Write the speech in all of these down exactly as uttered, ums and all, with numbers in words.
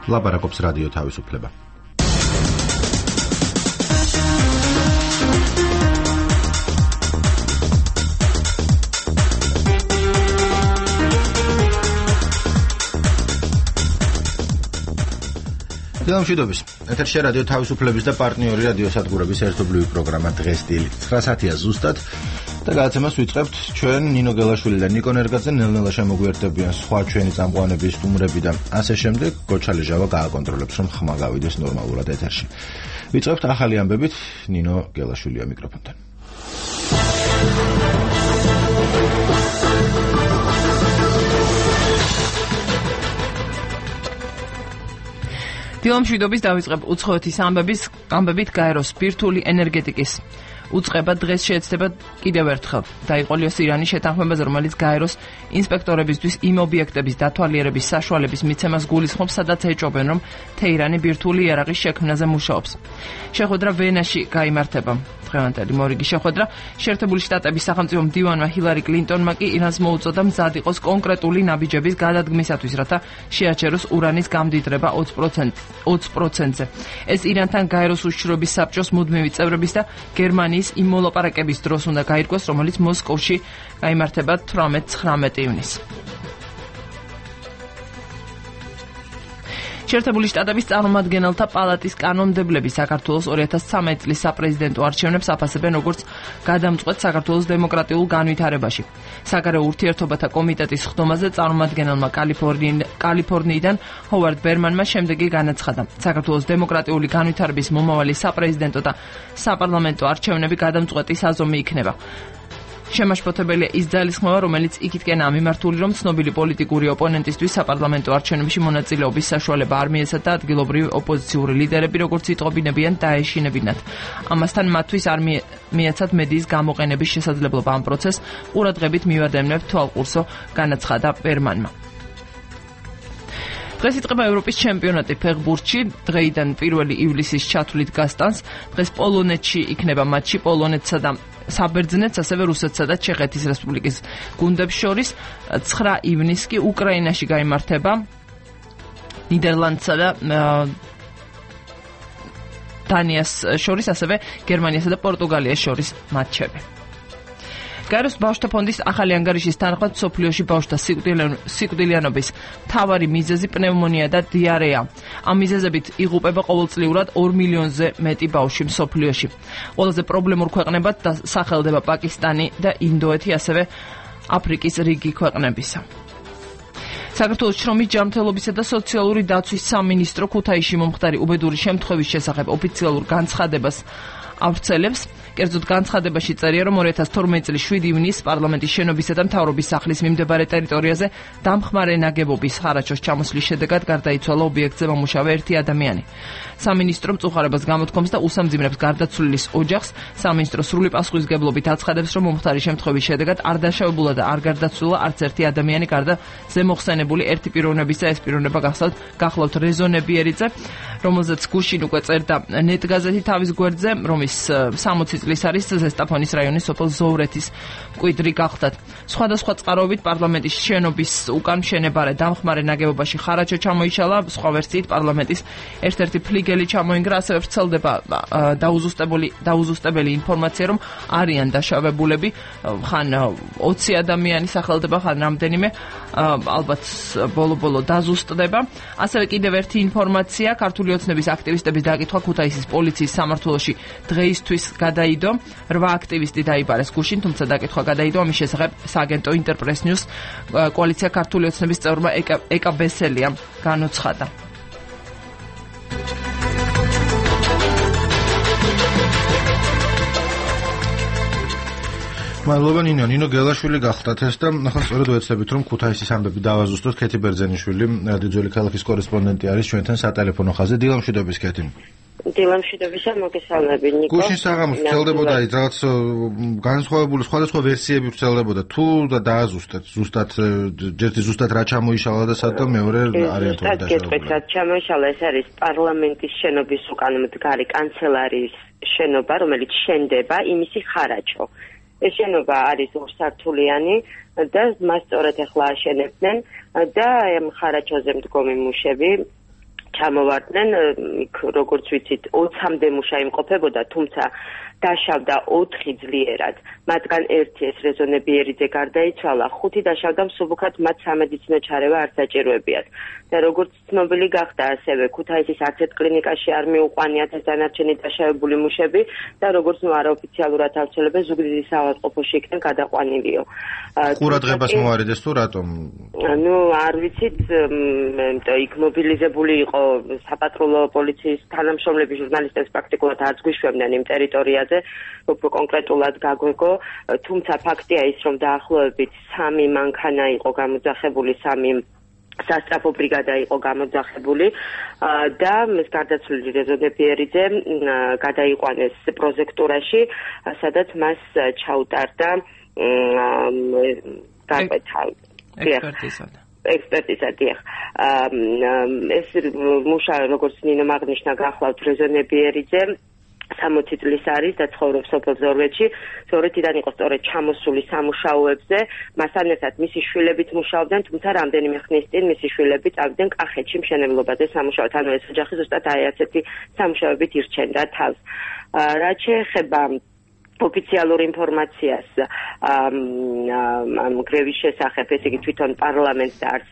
ლაპარაკობს რადიო თავისუფლება. დილამშვიდობის. ეთერში რადიო თავისუფლების და პარტნიორი რადიო სადგურების ერთობლივი პროგრამა დღეს დილით ცხრა საათია ზუსტად და გადაცემას ვიწყებთ ჩვენ ნინო გელაშვილი და ნიკო ნერგაძე ნელ-ნელა შემოგვიერთდებიან სხვა ჩვენი წამყვანების სტუმრები და ასე შემდეგ. გოჩალი ჟავა გააკონტროლებს რომ ხმა გავიდეს ნორმალურად ეთერში. ვიწყებთ ახალი ამბებით. ნინო გელაშვილია მიკროფონთან. დილამშვიდობის დავიწყებ უცხოეთის ამბების ამბებით გაეროს ბირთვული ენერგეტიკის უწყება დღეს შეეცდება კიდევ ერთხელ. დაიყოლიოს ირანის შეთანხმებაზე, რომელიც გაეროს ინსპექტორებისთვის იმ ობიექტების დათვალიერების საშუალების მიცემას გულისხმობს, სადაც ეჭობენ, რომ თეირანი ბირთვული იარაღის შექმნაზე მუშაობს. შეხვედრა ვენაში გაიმართება. დღევანდელი მორიგი შეხვედრა შეერთებული შტატების სახელმწიფო მდივანმა ჰილარი კლინტონმა კი ირანს მოუწოდა მზად იყოს კონკრეტული ნაბიჯების გადადგმისათვის, რათა შეაჩეროს ურანის გამდიდრება ოცი პროცენტზე. ეს ირანთან გაეროს უშიშროების საბჭოს მუდმივი წევრების და გერმანიის იმ მოლაპარაკების დროს უნდა გაირკვეს, რომელიც მოსკოვში გაიმართება თვრამეტ-ცხრამეტ ივნისს. შეერთებული შტატების წარმომადგენელთა პალატის კანონმდებლები საქართველოს ორი ათას ცხრამეტი წლის საპრეზიდენტო არჩევნებს აფასებენ როგორც გადამწყვეტ საქართველოს დემოკრატიულ განვითარებაში. საგარეო ურთიერთობათა კომიტეტის ხდომაზე წარმომადგენელმა კალიფორნიიდან ჰოვარდ ბერმანმა შემდეგი განაცხადა. საქართველოს დემოკრატიული განვითარების მომავალი საპრეზიდენტო და საპარლამენტო არჩევნები გადამწყვეტი საზომი იქნება. შემაშფოთებელია ის ძალისხმევა, რომელიც იქითკენაა მიმართული, რომ ცნობილი პოლიტიკური ოპონენტისთვის საპარლამენტო არჩევნებში მონაწილეობის საშუალება არ მიეცათ და ადგილობრივი ოპოზიციური ლიდერები, როგორც იტყობინებიან, დაეშინებინათ. ამასთან მათთვის არ მიეცათ მედიის გამოყენების შესაძლებლობა ამ პროცესს ყურადღებით მივადევნებთ თვალყურსო, განაცხადა ბერმანმა. დღეს იწყება ევროპის ჩემპიონატი ფეხბურთში. დღეიდან პირველი ივლისის ჩათვლით გასტანს. დღეს პოლონეთში იქნება მატჩი პოლონეთსა და საბერძნეთს, ასევე რუსეთსა და ჩეხეთის რესპუბლიკის გუნდებს შორის. ცხრა ივნისს კი უკრაინაში გაიმართება ნიდერლანდსა და დანიას შორის, ასევე გერმანიასა და პორტუგალიას შორის მატჩები. გაეროს ბავშვთა ფონდის ახალი ანგარიშის თანახმად მსოფლიოში ბავშვთა სიკვდილიანობის მთავარი მიზეზი პნევმონია და დიარეა. ამ მიზეზებით იღუპება ყოველწლიურად ორ მილიონზე მეტი ბავშვი მსოფლიოში. ყველაზე პრობლემურ ქვეყნებად სახელდება პაკისტანი და ინდოეთი, ასევე აფრიკის რიგი ქვეყნებისა. საქართველოს შრომის ჯანმრთელობისა და სოციალური დაცვის სამინისტრო ქუთაისში მომხდარი უბედური შემთხვევის შესახებ ოფიციალურ განცხადებას ავრცელებს. კერძოდ განცხადებაში წერია, რომ ორი ათას თორმეტი წლის შვიდი ივნისს პარლამენტის შენობისა და მთავრობის სახლის მიმდებარე ტერიტორიაზე დამხმარე ნაგებობის ხარაჩოს ჩამოსვლის შედეგად გარდაიცვალა ობიექტზე მომუშავე ერთი ადამიანი. სამინისტრო მწუხარებას გამოთქვამს და უსამძიმრებს გარდაცვლილის ოჯახს. სამინისტრო სრული პასუხისმგებლობით აცხადებს, რომ მომხდარი შემთხვევის შედეგად არ დაშავებულა და არ გარდაცვლილა არც ერთი ადამიანი, გარდა ზემოხსენებული ერთი პიროვნებისა. ეს პიროვნება გახსოვთ გახლავთ რეზო ნებიერიძე, რომელზეც გუშინ უკვე წერდა ნეტ გაზეთი თავის გვერდზე, რომის სამოცი წლის არის ზესტაფონის რაიონის სოფელ ზოვრეთის მკვიდრი გახლდათ. სხვადასხვა წყაროებით პარლამენტის შენობის უკან მშენებარე დამხმარე ნაგებობაში ხარაჩო ჩამოიშალა. სხვა ვერსიით პარლამენტის ერთ-ერთი ფლიგელი ჩამოინგრა. ასევე ვრცელდება დაუზუსტებელი დაუზუსტებელი ინფორმაცია, რომ არიან დაშავებულები, ხან ოცი ადამიანი სახელდება, ხან რამდენიმე, ალბათ ბოლო-ბოლო დაზუსტდება. ასევე კიდევ ერთი ინფორმაცია, ქართული ოცნების აქტივისტების დაკითხვა ქუთაისის პოლიციის სამმართველოში დღეისთვის გადაიდო. რვა აქტივისტი დაიბარეს გუშინ, თუმცა დაკითხვა გადაიდო. ამის შესახებ სააგენტო ინტერპრეს ნიუს კოალიცია ქართული ოცნების წევრმა ეკა ბესელიამ განუცხადა. მადლობა ნინო, ნინო გელაშვილი გახდათ ეს და ახლა სწორედ ვეცდებით რომ ქუთაისის ამბები დავაზუსტოთ. ქეთი ბერძენიშვილი, რადიო ძველი ქალაქის კორესპონდენტი არის ჩვენთან სატელეფონო ხაზზე. დილამშვიდობის ქეთი. დილამშვიდობისა, მოგესალმები ნიკო. გუშინ საღამოს ვრცელდებოდა რაღაც განსხვავებული სხვადასხვა ვერსიები ვრცელდებოდა. თუ და დააზუსტეთ, ზუსტად ერთი ზუსტად რა ჩამოიშალა და სად და მეორე არიან თუ დაშავებული. გეტყვით რა ჩამოიშალა, ეს არის პარლამენტის შენობის უკან მდგარი კანცელარიის შენობა, რომელიც შენდება, იმისი ხარაჩო. ეს შენობა არის ორსართულიანი და მას სწორედ ახლა აშენებდნენ და ამ ხარაჩოზე მდგომი მუშები ჩამოვარდნენ, იქ როგორც ვიცით, ოცამდე მუშა იმყოფებოდა, თუმცა დაშავდა ოთხი ძლიერად, მათგან ერთი ეს რეზონე ბიერიძე გარდაიცვალა, ხუთი დაშავდა მსუბუქად, მათ სამედიცინო ჩარევა არ საჭიროებიათ. და როგორც ცნობილი გახდა, ასევე ქუთაისის არც ერთ კლინიკაში არ მიუყვანიათ ეს დანარჩენი დაშავებული მუშები და როგორც ნუ არაოფიციალურად ავრცელებენ, ზუგდიდის საავადმყოფოში იქნენ გადაყვანილიო. ყურადღებას მოარიდეს თუ რატომ? ნუ არ ვიცით, იქ მობილიზებული იყო საპატრულო პოლიციის თანამშრომლები, ჟურნალისტებს პრაქტიკულად არც გვიშვებდნენ იმ ტერიტორიაზე, უფრო კონკრეტულად გაგვეგო, თუმცა ფაქტია ის, რომ დაახლოებით სამი მანქანა იყო გამოძახებული, სამი სასტრაფო ბრიგადა იყო გამოძახებული და ეს გარდაცვლილი რეზონე ბიერიძე გადაიყვანეს პროზექტურაში, სადაც მას ჩაუტარდა გარკვეთა ექსპერტიზა. ექსპერტიზა დიახ. ეს მუშა, როგორც ნინომ აღნიშნა, გახლავთ რეზონე ბიერიძე სამოცი წლის არის და ცხოვრობს სოფელ ზორვეთში. ზორვეთიდან იყო სწორედ ჩამოსული სამუშაოებზე, მასთან ერთად მისი შვილებიც მუშაობდნენ, თუმცა რამდენიმე ხნის წინ მისი შვილები წავიდნენ კახეთში მშენებლობაზე სამუშაოდ. ანუ ეს ოჯახი ზუსტად აი ასეთი სამუშაოებით ირჩენდა თავს. რაც შეეხება ოფიციალურ ინფორმაციას ამ გრევის შესახებ, ესე იგი თვითონ პარლამენტს და არც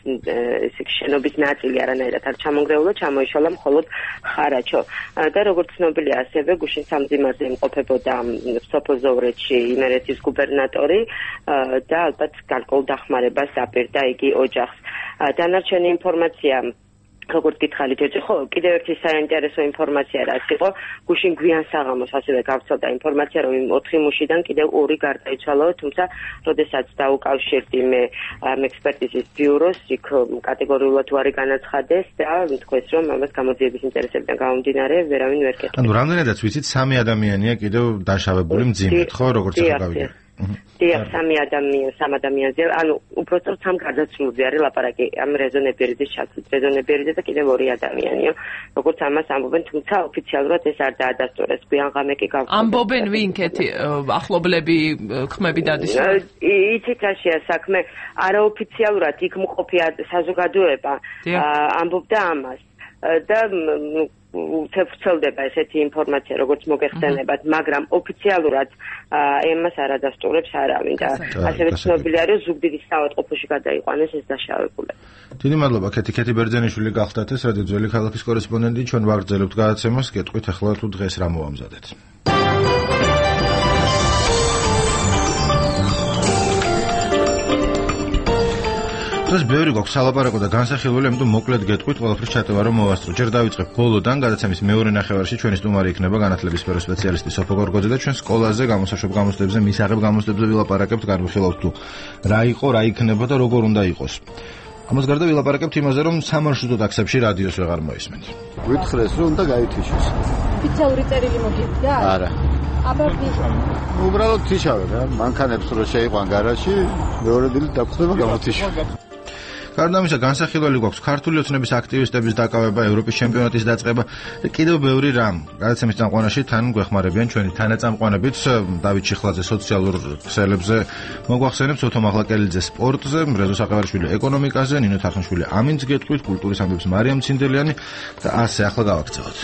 ესე იგი შენობის ნაწილი არანაირად არ ჩამონგრეულა, ჩამოიშალა მხოლოდ ხარაჩო. და როგორც ცნობილია, ასევე გუშინ სამძიმარზე იმყოფებოდა სოფელ ზოვრეთში იმერეთის გუბერნატორი და ალბათ გარკვეულ დახმარებას აპირდა იგი ოჯახს. დანარჩენი ინფორმაცია როგორც გითხარით, ხო, კიდევ ერთი საინტერესო ინფორმაცია რაც იყო, გუშინ გვიან საღამოს ასევე გავრცელდა ინფორმაცია, რომ იმ ოთხი მუშიდან კიდევ ორი გარდაიცვალა, თუმცა როდესაც დაუკავშირდი მე ამ ექსპერტიზის ბიუროს, იქ კატეგორიულად უარი განაცხადეს და თქვეს, რომ ამას გამოძიების ინტერესებიდან გამომდინარე, ვერავინ ვერ კეთდა. ანუ რამდენადაც ვიცით, სამი ადამიანია კიდევ დაშავებული მძიმედ, ხო, როგორც ახლა გავიგე. დიახ, სამი ადამიანი, სამ ადამიანზე, ანუ უბრალოდ სამ გარდაცვლილზე არის ლაპარაკი ამ რეზონე ბიერიძის ჩათვლით. რეზონე ბიერიძე და კიდევ ორი ადამიანია, როგორც ამას ამბობენ, თუმცა ოფიციალურად ეს არ დაადასტურეს. გვიან ღამე კი გავხსნა. ამბობენ ვინ კეთი ახლობლები, ხმები დადის? იცით რაშია საქმე, არაოფიციალურად იქ მყოფი საზოგადოება ამბობდა ამას და უცებრცელდება ესეთი ინფორმაცია, როგორც მოგეხსენებათ, მაგრამ ოფიციალურად ემას არ ადასტურებს არავინ და ასევე ცნობილია, რომ ზუგდიდის საავადმყოფოში გადაიყვანეს ეს დაშავებულები. დიდი მადლობა, ქეთი ქეთი ბერძენიშვილი გახდათ ეს რადიო ძველი ქალაქის კორესპონდენტი, ჩვენ ვაგრძელებთ გადაცემას, გეტყვით ახლა თუ დღეს რა მოამზადეთ. დღეს ბევრი გვაქვს სალაპარაკო და განსახილველი, ამიტომ მოკლედ გეტყვით, ყველაფრის ჩატევა რომ მოვასწრო. ჯერ დავიწყებ ბოლოდან, გადაცემის მეორე ნახევარში ჩვენი სტუმარი იქნება განათლების სფეროს სპეციალისტი სოფო გორგოძე და ჩვენ სკოლაზე გამოსაშვებ გამოცდებზე, მისაღებ გამოცდებზე ვილაპარაკებთ, განვიხილავთ თუ რა იყო, რა იქნება და როგორ უნდა იყოს. ამას გარდა ვილაპარაკებთ იმაზე, რომ სამარშრუტო ტაქსებში რადიოს ვეღარ მოისმენთ. ვითხრეს, რომ უნდა გაითიშოს. ოფიციალური წერილი მოგიდგა? არა. აბა ვიშავ. უბრალოდ თიშავე რა, მანქანებს რო შეიყვან გარაჟში, მეორე დილით დაგხვდება გამოთიშო. გარდა ამისა, განსახილველი გვაქვს ქართული ოცნების აქტივისტების დაკავება, ევროპის ჩემპიონატის დაწყება და კიდევ ბევრი რამ. გადაცემის წამყვანაში თან გვეხმარებიან ჩვენი თანაწამყვანებიც, დავით ჩიხლაძე სოციალურ ქსელებზე, მოგვახსენებს ოთო მაღლაკელიძე სპორტზე, რეზო საყევარიშვილი ეკონომიკაზე, ნინო თარხნიშვილი ამინდს გეტყვით, კულტურის ამბებს მარიამ ცინდელიანი და ასე ახლა გავაქცევთ.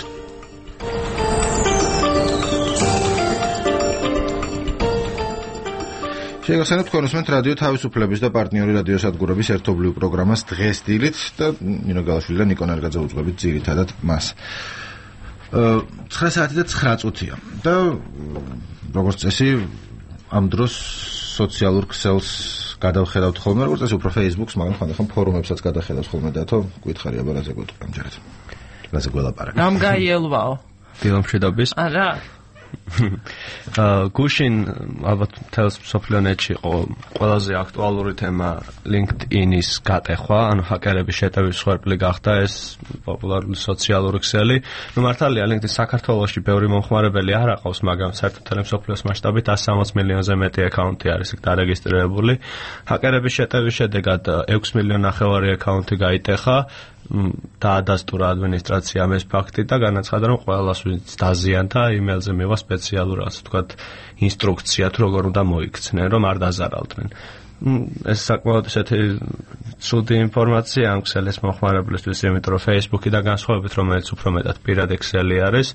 შეგახსენებთ თქვენ უსმენთ რადიო თავისუფლების და პარტნიორი რადიოსადგურების ერთობლივ პროგრამას დღეს დილით და ნინო გალაშვილი და ნიკო ნარგაძე უძღვებით ძირითადად მას. ცხრა საათი და ცხრა წუთია და როგორც წესი ამ დროს სოციალურ ქსელს გადავხედავთ ხოლმე, როგორც წესი უფრო Facebook-ს, მაგრამ ხანდახან ფორუმებსაც გადახედავთ ხოლმე და თო გითხარი აბა რაზე გვეტყვი ამჯერად. რაზე გველაპარაკეთ. რამ გაიელვაო? ფილმშედობის. არა. გუშინ ალბათ თელს სოფლიონეთში იყო ყველაზე აქტუალური თემა LinkedIn-ის გატეხვა, ანუ ჰაკერების შეტევის მსხვერპლი გახდა ეს პოპულარული სოციალური ქსელი. ნუ მართალია LinkedIn საქართველოში ბევრი მომხმარებელი არ აყავს, მაგრამ საერთოდ მსოფლიოს მასშტაბით εκατს სამოცი მილიონზე მეტი აკაუნტი არის იქ დარეგისტრირებული. ჰაკერების შეტევის შედეგად ექვსი მილიონი ნახევარი აკაუნტი გაიტეხა. დაადასტურა ადმინისტრაციამ ეს ფაქტი და განაცხადა, რომ ყველას ვინც დაზიანდა, იმეილზე მივა სპეციალური ასე ვთქვათ ინსტრუქცია თუ როგორ უნდა მოიქცნენ, რომ არ დაზარალდნენ. ეს საკმაოდ ესეთი ცუდი ინფორმაცია ამ ქსელის მოხმარებლისთვის, იმიტომ რომ Facebook-იდან განსხვავებით, რომელიც უფრო მეტად პირად ქსელი არის,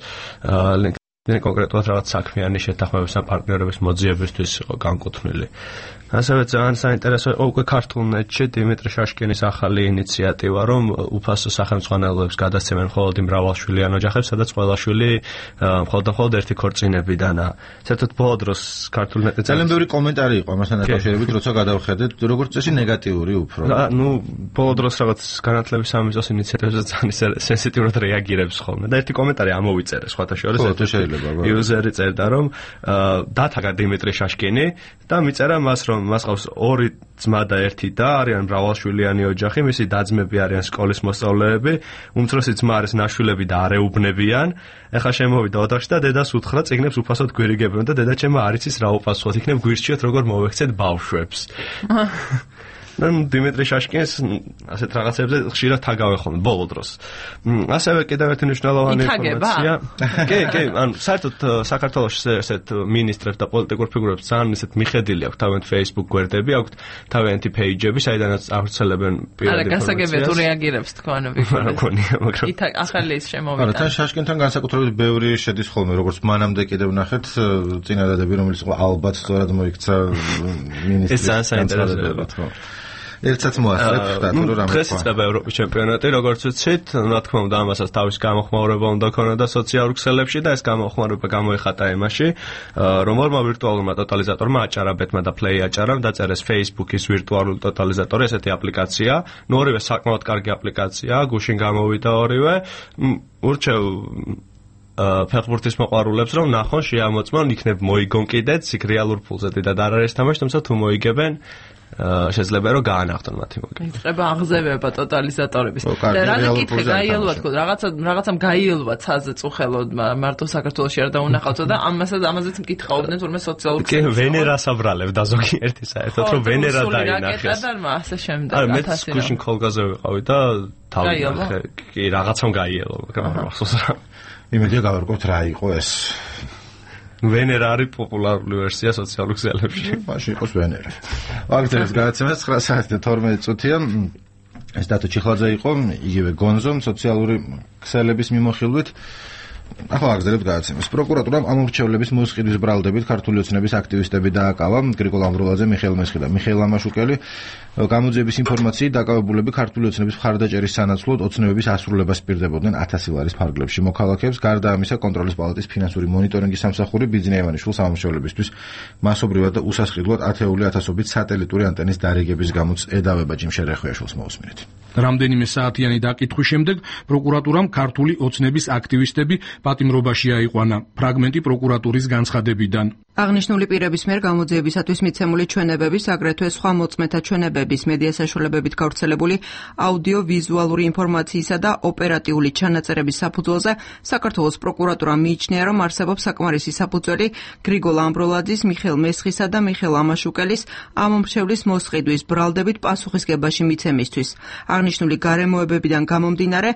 LinkedIn კონკრეტულად რაღაც საქმიანი შეთანხმების ან პარტნიორების მოძიებისთვის იყო განკუთვნილი. ასევე ძალიან საინტერესო იყო უკვე ქართულ ნეტში დიმიტრი შაშკინის ახალი ინიციატივა, რომ უფასო სახელმძღვანელოებს გადასცემენ მხოლოდ იმ მრავალშვილიან ოჯახებს, სადაც ყველა შვილი მხოლოდ და მხოლოდ ერთი ქორწინებიდანაა. საერთოდ ბოლო დროს ქართულ ნეტზე ძალიან ბევრი კომენტარი იყო ამასთან დაკავშირებით, როცა გადავხედეთ, როგორც წესი ნეგატიური უფრო. ნუ ბოლო დროს რაღაც განათლების სამიზოს ინიციატივებზე ძალიან სენსიტიურად რეაგირებს ხოლმე. და ერთი კომენტარი ამოვიწერე სხვათა შორის, ხო, შეიძლება, იუზერი წერდა, რომ დათაგა დიმიტრი შაშკინი და მიწერა მას, რომ მას ყავს ორი ძმა და ერთი და არიან მრავალშვილიანი ოჯახი, მისი და-ძმები არიან სკოლის მოსწავლეები, უმცროსი ძმა არის ნაშვილები და არეუბნებიან. ეხლა შემოვიდა ოთახში და დედას უთხრა წიგნებს უფასოდ გვირიგებენ და დედა ჩემო არ იცის რა უპასუხოთ, იქნებ გვირჩიოთ როგორ მოვექცეთ ბავშვებს. ნუ დიმიტრი შაშკინს ასეთ რაღაცებზე ხშირად თაგავენ ხოლმე ბოლო დროს. ასევე კიდევ ერთი მნიშვნელოვანი ინფორმაცია. კი, კი, ანუ საერთოდ საქართველოს ესეთ მინისტრებს და პოლიტიკურ ფიგურებს ძალიან ისეთ მიხედილი აქვს თავიანთი Facebook გვერდები, აქვს თავიანთი პეიჯები, საიდანაც ავრცელებენ პირად ინფორმაციას. არა, გასაგებია თუ რეაგირებს თქვენ ვიქორე. მგონია, მაგრამ იქ ახალი ის შემოვიდა. არა, თან შაშკინთან განსაკუთრებით ბევრი შედის ხოლმე, როგორც მანამდე კიდევ ნახეთ წინადადები, რომელიც ალბათ სწორად მოიქცა მინისტრის. ეს ძალიან საინტერესოა, ხო. ერთსაც მოასწრებ ხდათ რომ რამე დღეს იწყება ევროპის ჩემპიონატი, როგორც ვიცით, რა თქმა უნდა ამასაც თავის გამოხმაურება უნდა ქონოდა სოციალურ ქსელებში და ეს გამოხმაურება გამოიხატა იმაში, რომ ორმა ვირტუალურმა ტოტალიზატორმა აჭარა ბეთმა და Play აჭარამ დაწერეს Facebook-ის ვირტუალური ტოტალიზატორი, ესეთი აპლიკაცია. ნუ ორივე საკმაოდ კარგი აპლიკაციაა, გუშინ გამოვიდა ორივე. ურჩევ ფეხბურთის მოყვარულებს რომ ნახონ, შეამოწმონ, იქნებ მოიგონ კიდეც, იქ რეალურ ფულზე დიდად არ არის თამაში, თუმცა თუ მოიგებენ შეიძლება რომ გაანახტონ მათი მოგება. იწყება აღზევება ტოტალიზატორების. და რა გიკითხე, გაიელვათ ხო, რაღაცა რაღაცამ გაიელვა ცაზე წუხელოდ მარტო საქართველოში არ დაუნახავთ და ამასაც ამაზეც მკითხაობდნენ თურმე სოციალურ ქსელებში. კი, ვენერას აბრალებდა ზოგიერთი საერთოდ რომ ვენერა დაინახეს. და ასე შემდეგ. არა, მეც გუშინ ხოლგაზე ვიყავი და თავი ნახე. კი, რაღაცამ გაიელვა, მაგრამ ახსოვს რა. იმედია გავარკვევთ რა იყო ეს. ვენერა არის პოპულარული ვერსია სოციალურ ქსელებში. მაშინ იყოს ვენერა. ვაგრძელებს გადაცემა ცხრა საათი და თორმეტი წუთია. ეს დათო ჩიხლაძე იყო, იგივე გონზომ სოციალური ქსელების მიმოხილვით. ახლა ვაგრძელებთ გადაცემას. პროკურატურამ ამორჩევლების მოსყიდვის ბრალდებით ქართული ოცნების აქტივისტები დააკავა. გრიგოლ ამბროლაძე, მიხეილ მესხი და მიხეილ ამაშუკელი გამოძიების ინფორმაციით დაკავებულები ქართული ოცნების მხარდაჭერის სანაცვლოდ ოცნებების ასრულებას პირდებოდნენ ათასი ლარის ფარგლებში. მოქალაქეებს გარდა ამისა კონტროლის პალატის ფინანსური მონიტორინგის სამსახური ბიძინა ივანიშვილს ამორჩევლებისთვის მასობრივად და უსასყიდლოდ ათეული ათასობით სატელიტური ანტენის დარიგების გამოც ედავება ჯიმშე რეხვიაშვილს მოусმინეთ. რამდენიმე საათიანი დაკითხვის შემდეგ პროკურატურამ ქართული ოცნების აქტივისტები პატიმრობაში აიყვანა. ფრაგმენტი პროკურატურის განცხადებიდან. აღნიშნული პირების მიერ გამოძიებისათვის მიცემული ჩვენებების, აგრეთვე სხვა მოწმეთა ჩვენებების, მედია საშუალებებით გავრცელებული აუდიო-ვიზუალური ინფორმაციისა და ოპერატიული ჩანაწერების საფუძველზე საქართველოს პროკურატურა მიიჩნია, რომ არსებობს საკმარისი საფუძველი გრიგოლ ამბროლაძის, მიხეილ მესხისა და მიხეილ ამაშუკელის ამომრჩევლის მოსყიდვის ბრალდებით პასუხისგებაში მიცემისთვის. აღნიშნული გარემოებებიდან გამომდინარე,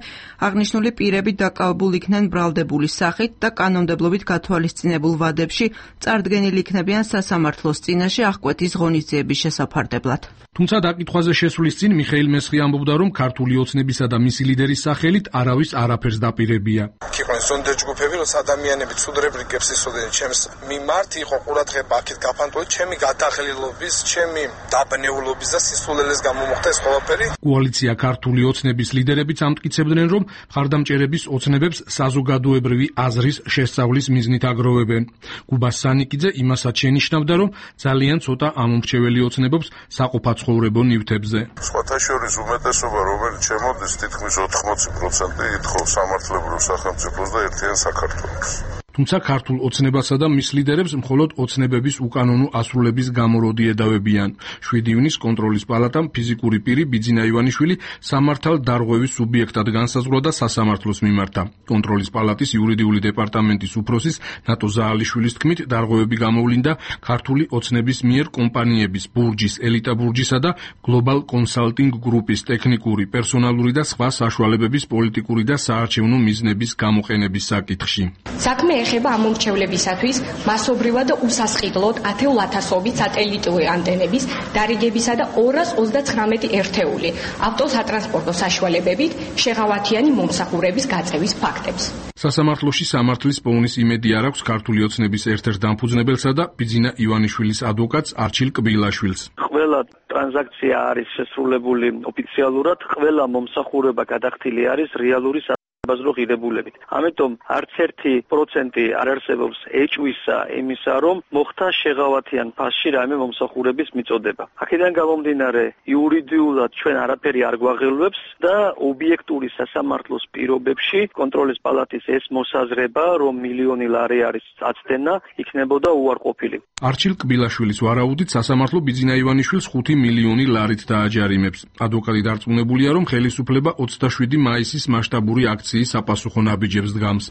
აღნიშნული პირები დაკავებულ იქნენ ბრალდებული სახით და კანონმდებლობით გათვალისწინებულ ვადებში წარდგენილი იქნებიან სასამართლოს წინაშე აღკვეთის ღონისძიების შესაფარდებლად. თუმცა დაკითხვაზე შესვლის წინ მიხეილ მესხი ამბობდა, რომ ქართული ოცნებისა და მისი ლიდერის სახელით არავის არაფერს დაპირებია. იყვნენ ზონდერ ჯგუფები, რომ ადამიანები ცუდრებ რიგებს ისოდენ ჩემს მიმართ, იყო ყურადღება აქეთ გაფანტული, ჩემი გადაღლილობის, ჩემი დაბნეულობის და სისულელეს გამომოხდა ეს ყველაფერი. კოალიცია ქართული ოცნების ლიდერებიც ამტკიცებდნენ, რომ მხარდამჭერების ოცნებებს საზოგადოებრივი აზრის შესწავლის მიზნით აგროვებენ. კუბა სანიკიძე იმასაც შენიშნავდა, რომ ძალიან ცოტა ამომრჩეველი ოცნებობს საყოფაცხოვრებო ნივთებზე. სხვათა შორის უმეტესობა, რომელიც შემოდის, თითქმის ოთხმოცი პროცენტი ითხოვს სამართლებრივ სახელმწიფოს და ერთიან საქართველოს. თუმცა ქართულ ოცნებასა და მის ლიდერებს მხოლოდ ოცნებების უკანონო ასრულების გამოროდი ედავებიან. შვიდი ივნის კონტროლის პალატამ ფიზიკური პირი ბიძინა ივანიშვილი სამართალ დარღვევის სუბიექტად განსაზღვრა და სასამართლოს მიმართა. კონტროლის პალატის იურიდიული დეპარტამენტის უფროსის ნატო ზაალიშვილის თქმით, დარღვევები გამოვლინდა ქართული ოცნების მიერ კომპანიების ბურჯის, ელიტა ბურჯისა და გლობალ კონსალტინგ გრუპის ტექნიკური, პერსონალური და სხვა საშუალებების პოლიტიკური და საარჩევნო მიზნების გამოყენების საკითხში. საქმე ეხება ამ მომრჩევლებისათვის მასობრივად და უსასყიდლოდ ათეულ ათასობით სატელიტური ანტენების დარიგებისა და ორას ოცდათხრამეტი ერთეული ავტოსატრანსპორტო საშუალებებით შეღავათიანი მომსახურების გაწევის ფაქტებს. სასამართლოში სამართლის პოვნის იმედი არ აქვს ქართული ოცნების ერთ-ერთ დამფუძნებელსა და ბიძინა ივანიშვილის ადვოკატს არჩილ კბილაშვილს. ყველა ტრანზაქცია არის შესრულებული ოფიციალურად, ყველა მომსახურება გადახდილი არის რეალური საბაზრო ღირებულებით. ამიტომ არც ერთი პროცენტი არ არსებობს ეჭვისა იმისა, რომ მოხდა შეღავათიან ფასში რაიმე მომსახურების მიწოდება. აქედან გამომდინარე, იურიდიულად ჩვენ არაფერი არ გვაღელვებს და ობიექტური სასამართლოს პირობებში კონტროლის პალატის ეს მოსაზრება, რომ მილიონი ლარი არის აწდენა, იქნებოდა უარყოფილი. არჩილ კბილაშვილის ვარაუდით სასამართლო ბიძინა ივანიშვილს ხუთი მილიონი ლარით დააჯარიმებს. ადვოკატი დარწმუნებულია, რომ ხელისუფლება ოცდაშვიდი მაისის მასშტაბური აქციის საპასუხო ნაბიჯებს დგამს.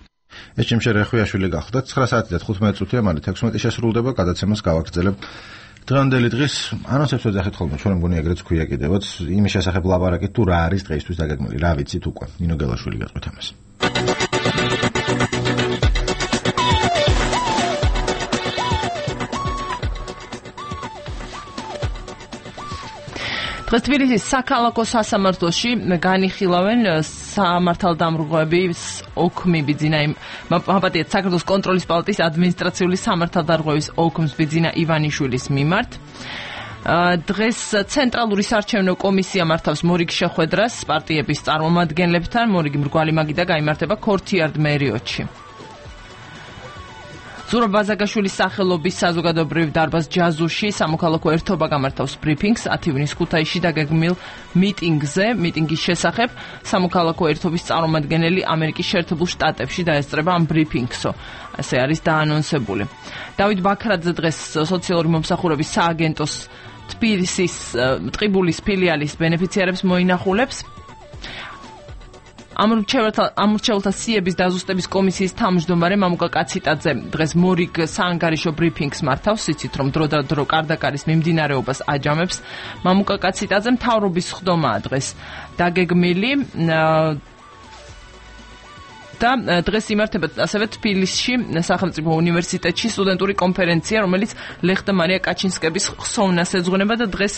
ეჩემ შერეხვიაშვილი გახდა ცხრა საათი და თხუთმეტი წუთი ამალე თექვსმეტი შესრულდება გადაცემას გავაგრძელებ. დღევანდელი დღის ანონსებს ვეძახით ხოლმე ჩვენ მგონი ეგრეც ქვია კიდევაც იმის შესახებ ლაპარაკით თუ რა არის დღეისთვის დაგეგმილი რა ვიცით უკვე ნინო გელაშვილი გეტყვით ამას. დღეს თბილისის საქალაქო სასამართლოში განიხილავენ სამართალდამრღვევების ოქმი ბიძინა მაპატიეთ საქართველოს კონტროლის პალატის ადმინისტრაციული სამართალდამრღვევის ოქმს ბიძინა ივანიშვილის მიმართ. დღეს ცენტრალური საარჩევნო კომისია მართავს მორიგ შეხვედრას პარტიების წარმომადგენლებთან. მორიგი მრგვალი მაგიდა გაიმართება ქორთიარდ მერიოდში. ზურაბ ბაზაგაშვილის სახელობის საზოგადოებრივ დარბაზ ჯაზუში სამოქალაქო ერთობა გამართავს ბრიფინგს ათი ივნის ქუთაისში დაგეგმილ მიტინგზე. მიტინგის შესახებ სამოქალაქო ერთობის წარმომადგენელი ამერიკის შეერთებულ შტატებში დაესწრება ამ ბრიფინგსო. ასე არის დაანონსებული. დავით ბაქრაძე დღეს სოციალური მომსახურების სააგენტოს თბილისის ტყიბულის ფილიალის ბენეფიციარებს მოინახულებს. ამორჩეულთა სიების დაზუსტების კომისიის თავმჯდომარე მამუკა კაციტაძე დღეს მორიგ საანგარიშო ბრიფინგს მართავს. იცით რომ დრო და დრო კარდაკარის მიმდინარეობას აჯამებს. მამუკა კაციტაძე მთავრობის ხდომაა დღეს დაგეგმილი და დღეს იმართება ასევე თბილისში სახელმწიფო უნივერსიტეტში სტუდენტური კონფერენცია, რომელიც ლეხტა მარია კაჩინსკების ხსოვნას ეძღვნება და დღეს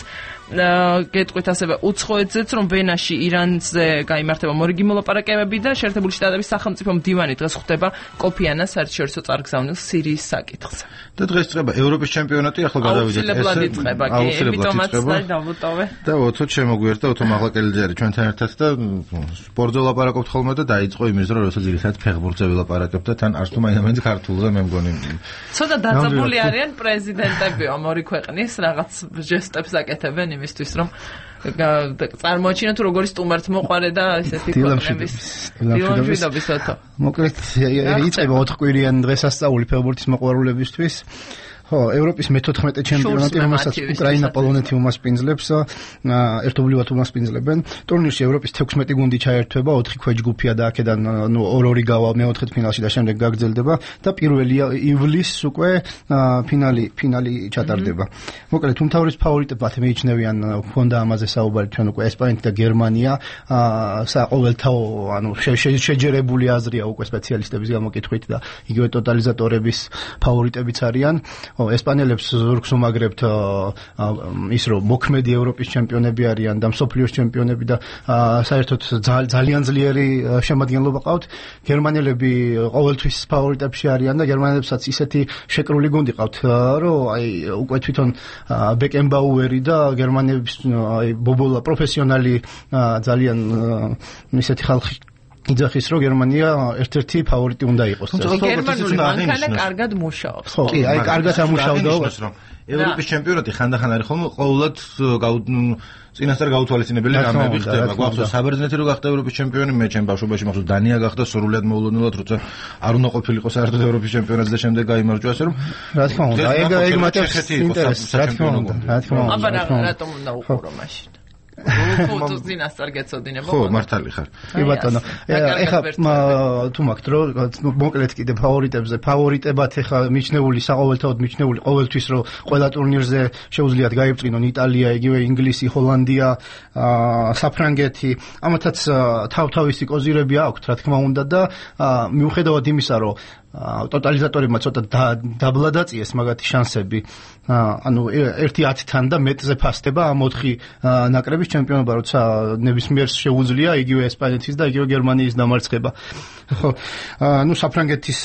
გეტყვით ასევე უცხოეთზეც რომ ვენაში ირანზე გაიმართება მორიგი მოლაპარაკებები და შეერთებული შტატების სახელმწიფო მდივანი დღეს ხვდება კოფი ანას საერთაშორისო წარგზავნილ სირიის საკითხზე. და დღეს წება ევროპის ჩემპიონატი, ახლა გადავიდეთ ესე. აუცილებლად იწყება, კი, ემიტომაც დავუტოვე. და ოთო შემოგვიერთდა ოთო მაღლაკელიძე არის ჩვენთან ერთად და სპორტზე ვლაპარაკობთ ხოლმე და დაიწყო იმის დრო, როცა ძირითადად ფეხბურთზე ვილაპარაკებთ და თან არც თუ მაინც ქართულზე მე მგონი. ცოტა დაძაბული არიან პრეზიდენტები ამ ორი ქვეყნის რაღაც ჟესტებს აკეთებენ იმისთვის რომ წარმოაჩინოთ თუ როგორი სტუმართ მოყარე და ესეთი ქვეყნების დილამშვიდობის ოთო. მოკლედ იწყება ოთხკვირიანი დღესასწაული ფეხბურთის მოყვარულებისთვის. ხო, ევროპის მეთოთხმეტე ჩემპიონატი, რომელსაც უკრაინა, პოლონეთი უმასპინძლებს, ერთობლივად უმასპინძლებენ. ტურნირში ევროპის თექვსმეტი გუნდი ჩაერთვება, ოთხი ქვეჯგუფია და აქედან ნუ ორ-ორი გავა მეოთხედფინალში და შემდეგ გაგრძელდება და პირველი ივლისს უკვე ფინალი ფინალი ჩატარდება. მოკლედ, უმთავრეს ფავორიტებად მიიჩნევიან, ჰქონდა ამაზე საუბარი ჩვენ უკვე ესპანეთი და გერმანია, საყოველთაო, ანუ შეჯერებული აზრია უკვე სპეციალისტების გამოკითხვით და იგივე ტოტალიზატორების ფავორიტებიც არიან. ესპანელებს ზურგს უმაგრებთ ის რომ მოქმედი ევროპის ჩემპიონები არიან და მსოფლიოს ჩემპიონები და საერთოდ ძალიან ძლიერი შემადგენლობა ყავთ. გერმანელები ყოველთვის ფავორიტებში არიან და გერმანელებსაც ისეთი შეკრული გუნდი ყავთ, რომ აი უკვე თვითონ ბეკენბაუერი და გერმანელების აი ბობოლა პროფესიონალი ძალიან ისეთი ხალხი იძახის რომ გერმანია ერთ-ერთი ფავორიტი უნდა იყოს. გერმანული მანქანა კარგად მუშაობს. ხო, კი, აი კარგად ამუშავდა. ევროპის ჩემპიონატი ხანდახან არის ხოლმე ყოველად წინასწარ გაუთვალისწინებელი რამეები ხდება. გვახსოვს საბერძნეთი რო გახდა ევროპის ჩემპიონი, მე ჩემ ბავშვობაში მახსოვს დანია გახდა სრულიად მოულოდნელად, როცა არ უნდა ყოფილიყო საერთოდ ევროპის ჩემპიონატზე და შემდეგ გაიმარჯვა, ასე რომ რა თქმა უნდა, ეგ ეგ მათაც ინტერესს, რა თქმა უნდა, რა თქმა უნდა. აბა რატომ უნდა უყურო მაშინ? ფოტოს დინასტარ გეცოდინება. ხო, მართალი ხარ. კი ბატონო. ეხა თუ მაგთ რო მოკლედ კიდე ფავორიტებზე, ფავორიტებად ეხა მიჩნეული, საყოველთაოდ მიჩნეული ყოველთვის რო ყველა ტურნირზე შეუძლიათ გაიბწრინონ იტალია, იგივე ინგლისი, ჰოლანდია, საფრანგეთი. ამათაც თავ-თავისი კოზირები აქვთ, რა თქმა უნდა და მიუხედავად იმისა, რომ ტოტალიზატორებმა ცოტა დაბლა დაწიეს მაგათი შანსები. ანუ ერთი ათთან და მეტზე ფასდება ამ ოთხი ნაკრების ჩემპიონობა, როცა ნებისმიერს შეუძლია იგივე ესპანეთის და იგივე გერმანიის დამარცხება. ხო, ну საფრანგეთის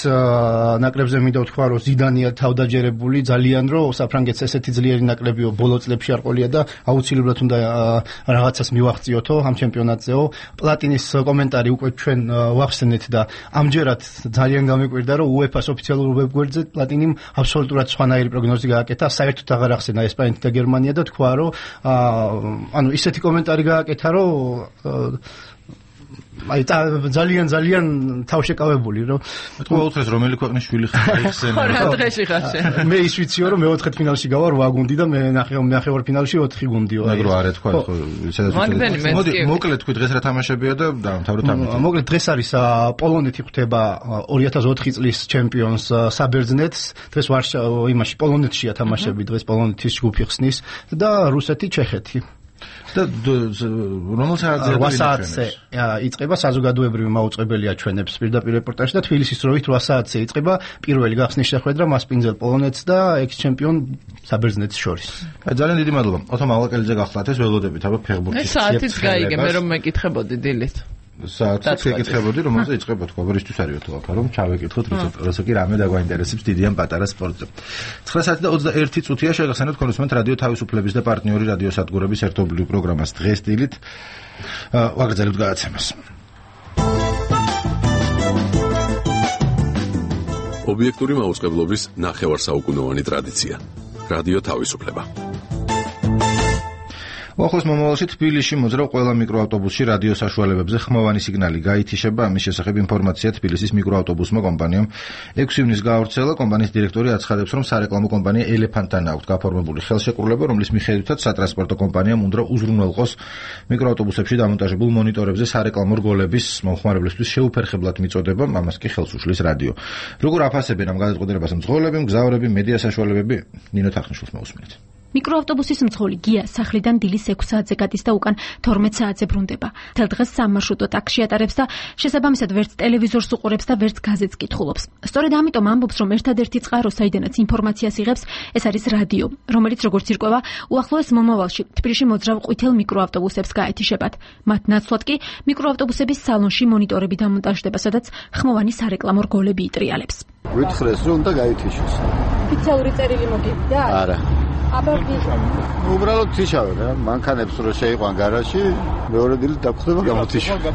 ნაკრებზე მინდა ვთქვა, რომ ზიდანია თავდაჯერებული ძალიან, რომ საფრანგეთს ესეთი ძლიერი ნაკრებიო ბოლო წლებში არ ყოლია და აუცილებლად უნდა რაღაცას მივაღწიოთო ამ ჩემპიონატზეო. პლატინის კომენტარი უკვე ჩვენ ვახსენეთ და ამჯერად ძალიან გამიკვირდა, რომ უეფას ოფიციალურ ვებგვერდზე პლატინიმ აბსოლუტურად სხვანაირი პროგნოზი გააკეთა, საერთოდ აღარ ახსენა ესპანეთი და გერმანია და თქვა, რომ ანუ ისეთი კომენტარი გააკეთა, რომ აი ძალიან ძალიან თავშეკავებული რომ თქვა უთხეს რომელი ქვეყნის შვილი ხარ იხსენე რა დღეში ხარ შენ მე ის ვიციო რომ მეოთხე ფინალში გავა რვა გუნდი და მე ნახევარ ფინალში ოთხი გუნდიო აი რა არა თქვა ხო მოდი მოკლედ თქვი დღეს რა თამაშებია და დავამთავროთ ამით მოკლედ დღეს არის პოლონეთი ხვდება ორი ათას ოთხი წლის ჩემპიონს საბერძნეთს დღეს ვარშა იმაში პოლონეთშია თამაშები დღეს პოლონეთის ჯგუფი ხსნის და რუსეთი ჩეხეთი და რომელ საათზე იწყება საზოგადოებრივი მაუწყებელი აჩვენებს პირდაპირ რეპორტაჟში და თბილისის დროით რვა საათზე იწყება პირველი გახსნის შეხვედრა მასპინძელ პოლონეთს და ექს-ჩემპიონ საბერძნეთს შორის. აი ძალიან დიდი მადლობა. ოთო მალაკელიძე გახლავთ ეს ველოდებით აბა ფეხბურთის. საათიც გაიგე მე რომ მეკითხებოდი დილით. საათს ეკითხებოდი რომელზე იწყება თქვა ვერისთვის არისო აქ რომ ჩავეკითხოთ როცა კი რამე დაგვაინტერესებს დიდი ან პატარა სპორტზე. ცხრა საათი და ოცდაერთი წუთია შეგახსენებთ კონსუმენტ რადიო თავისუფლების და პარტნიორი რადიო სადგურების ერთობლივ პროგრამას დღეს დილით ვაგრძელებთ გადაცემას. ობიექტური მაუწყებლობის ნახევარსაუკუნოვანი ტრადიცია. რადიო თავისუფლება. უახლოს მომავალში თბილისში მოძრავ ყველა მიკროავტობუსში რადიო საშუალებებზე ხმოვანი სიგნალი გაითიშება. ამის შესახებ ინფორმაცია თბილისის მიკროავტობუსმა კომპანიამ ექვსი ივნის გაავრცელა. კომპანიის დირექტორი აცხადებს, რომ სარეკლამო კომპანია ელეფანტთან აქვს გაფორმებული ხელშეკრულება, რომლის მიხედვითაც სატრანსპორტო კომპანიამ უნდა უზრუნველყოს მიკროავტობუსებში დამონტაჟებულ მონიტორებზე სარეკლამო რგოლების მომხმარებლისთვის შეუფერხებლად მიწოდება, ამას კი ხელს უშლის რადიო. როგორ აფასებენ ამ გადაწყვეტილებას მძღოლები, მგზავრები, მედია საშუალებები? ნინო თახნიშვილს მოусმენთ. მიკროავტობუსის მძღოლი გია სახლიდან დილის ექვსი საათზე გადის და უკან თორმეტ საათზე ბრუნდება. მთელ დღეს სამარშრუტო ტაქსში ატარებს და შესაბამისად ვერც ტელევიზორს უყურებს და ვერც გაზეთს კითხულობს. სწორედ ამიტომ ამბობს, რომ ერთადერთი წყარო, საიდანაც ინფორმაციას იღებს, ეს არის რადიო, რომელიც როგორც ირკვევა, უახლოეს მომავალში თბილისში მოძრავ ყვითელ მიკროავტობუსებს გაეთიშებათ. მათ ნაცვლად კი მიკროავტობუსების სალონში მონიტორები დამონტაჟდება, სადაც ხმოვანი სარეკლამო რგოლები იტრიალებს. ვითხრეს, რომ უნდა გაითიშოს. ოფიციალური წერილი მოგივიდა? არა. აბა უბრალოდ თიშავენ რა, მანქანებს რო შეიყვან გარაჟში, მეორე დილით დაგხვდება გამოთიშვა.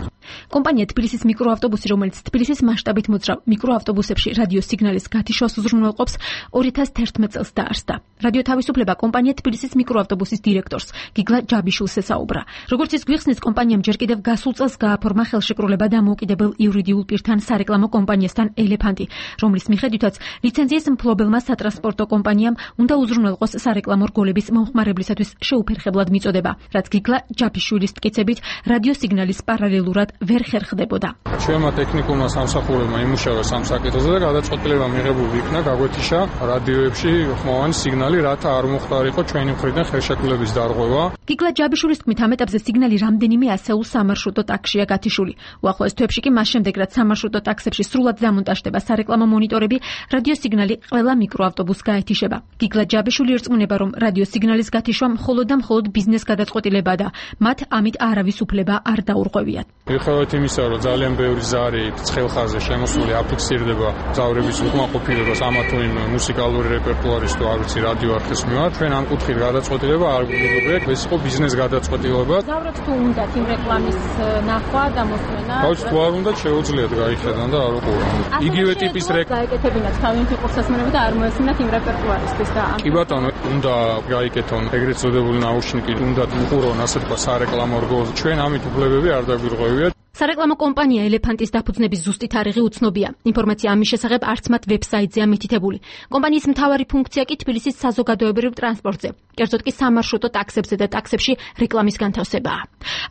კომპანია თბილისის მიკროავტობუსი, რომელიც თბილისის მასშტაბით მოძრავ მიკროავტობუსებში რადიო სიგნალის გათიშვას უზრუნველყოფს, ორი ათას თერთმეტ წელს დაარსდა. რადიო თავისუფლება კომპანია თბილისის მიკროავტობუსის დირექტორს გიგლა ჯაბიშვილს ესაუბრა. როგორც ის გვიხსნის, კომპანიამ ჯერ კიდევ გასულ წელს გააფორმა ხელშეკრულება დამოუკიდებელ იურიდიულ პირთან სარეკლამო კომპანიასთან ელეფანტი, რომლის მიხედვითაც ლიცენზიის მფლობელმა სატრანსპორტო კომპანიამ უნდა უზრუნველყოს სარეკლამო რგოლების მომხმარებლისათვის შეუფერხებლად მიწოდება, რაც გიგლა ჯაბიშვილის მტკიცებით რადიო სიგნალის პარალელურად ვერ ხერხდებოდა. ჩვენმა ტექნიკურმა სამსახურებმა იმუშავა სამ საკითხზე და გადაწყვეტილება მიღებული იქნა გაგვეთიშა რადიოებში ხმოვანი სიგნალი, რათა არ მოხდარიყო ჩვენი მხრიდან ხელშეკრულების დარღვევა. გიგლა ჯაბიშვილის თქმით, ამ ეტაპზე სიგნალი რამდენიმე ასეულ სამარშრუტო ტაქსშია გათიშული. უახლოეს თვეებში კი მას შემდეგ, რაც სამარშრუტო ტაქსებში სრულად დამონტაჟდება სარეკლამო მონიტორები, რადიო სიგნალი ყველა მიკროავტობუსს გაეთიშება. გიგლა ჯაბიშვილი ერწმუნება, რომ რადიო სიგნალის გათიშვა მხოლოდ და მხოლოდ ბიზნეს გადაწყვეტილებაა და მათ ამით არავის უფლება არ დაურღვევიათ. მიუხედავად იმისა, რომ ძალიან ბევრი ზარი ცხელხაზზე შემოსული აფიქსირდება მგზავრების უკმაყოფილებას ამა თუ იმ მუსიკალური რეპერტუარის თუ არ ვიცი რადიო არხის მიმართ, ჩვენ ამ კუთხით გადაწყვეტილება არ გვიგვიგვიეთ, ეს იყო ბიზნეს გადაწყვეტილება. მგზავრად თუ უნდათ იმ რეკლამის ნახვა და მოსმენა? ბავშვს თუ არ უნდა შეუძლიათ გაიხედან და არ უყურონ. იგივე ტიპის რეკლამა გაეკეთებინათ თავი ფეხბურთსასმენები და არ მოესმინათ იმ რეპერტუარისთვის და კი ბატონო, უნდა გაიკეთონ ეგრეთ წოდებული ნაუშნიკი, უნდა უყურონ ასე თქვა სარეკლამო რგოლს. ჩვენ ამით უფლებები არ დაგვირღვევიათ. სარეკლამო კომპანია ელეფანტის დაფუძნების ზუსტი თარიღი უცნობია. ინფორმაცია ამის შესახებ არც მათ ვებსაიტზეა მითითებული. კომპანიის მთავარი ფუნქცია კი თბილისის საზოგადოებრივ ტრანსპორტზე, კერძოდ კი სამარშრუტო ტაქსებზე და ტაქსებში რეკლამის განთავსებაა.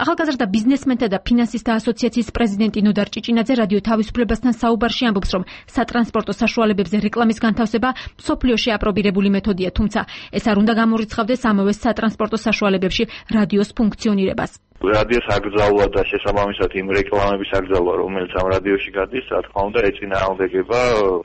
ახალგაზრდა ბიზნესმენთა და ფინანსისტთა ასოციაციის პრეზიდენტი ნოდარ ჭიჭინაძე რადიო თავისუფლებასთან საუბარში ამბობს, რომ სატრანსპორტო საშუალებებზე რეკლამის განთავსება მსოფლიოში აპრობირებული მეთოდია, თუმცა ეს არ უნდა გამორიცხავდეს ამავე სატრანსპორტო საშუალებებში რადიოს ფუნქციონირებას. რადიოს აკრძალვა და შესაბამისად იმ რეკლამების აკრძალვა, რომელიც ამ რადიოში გადის, რა თქმა უნდა, ეწინააღმდეგება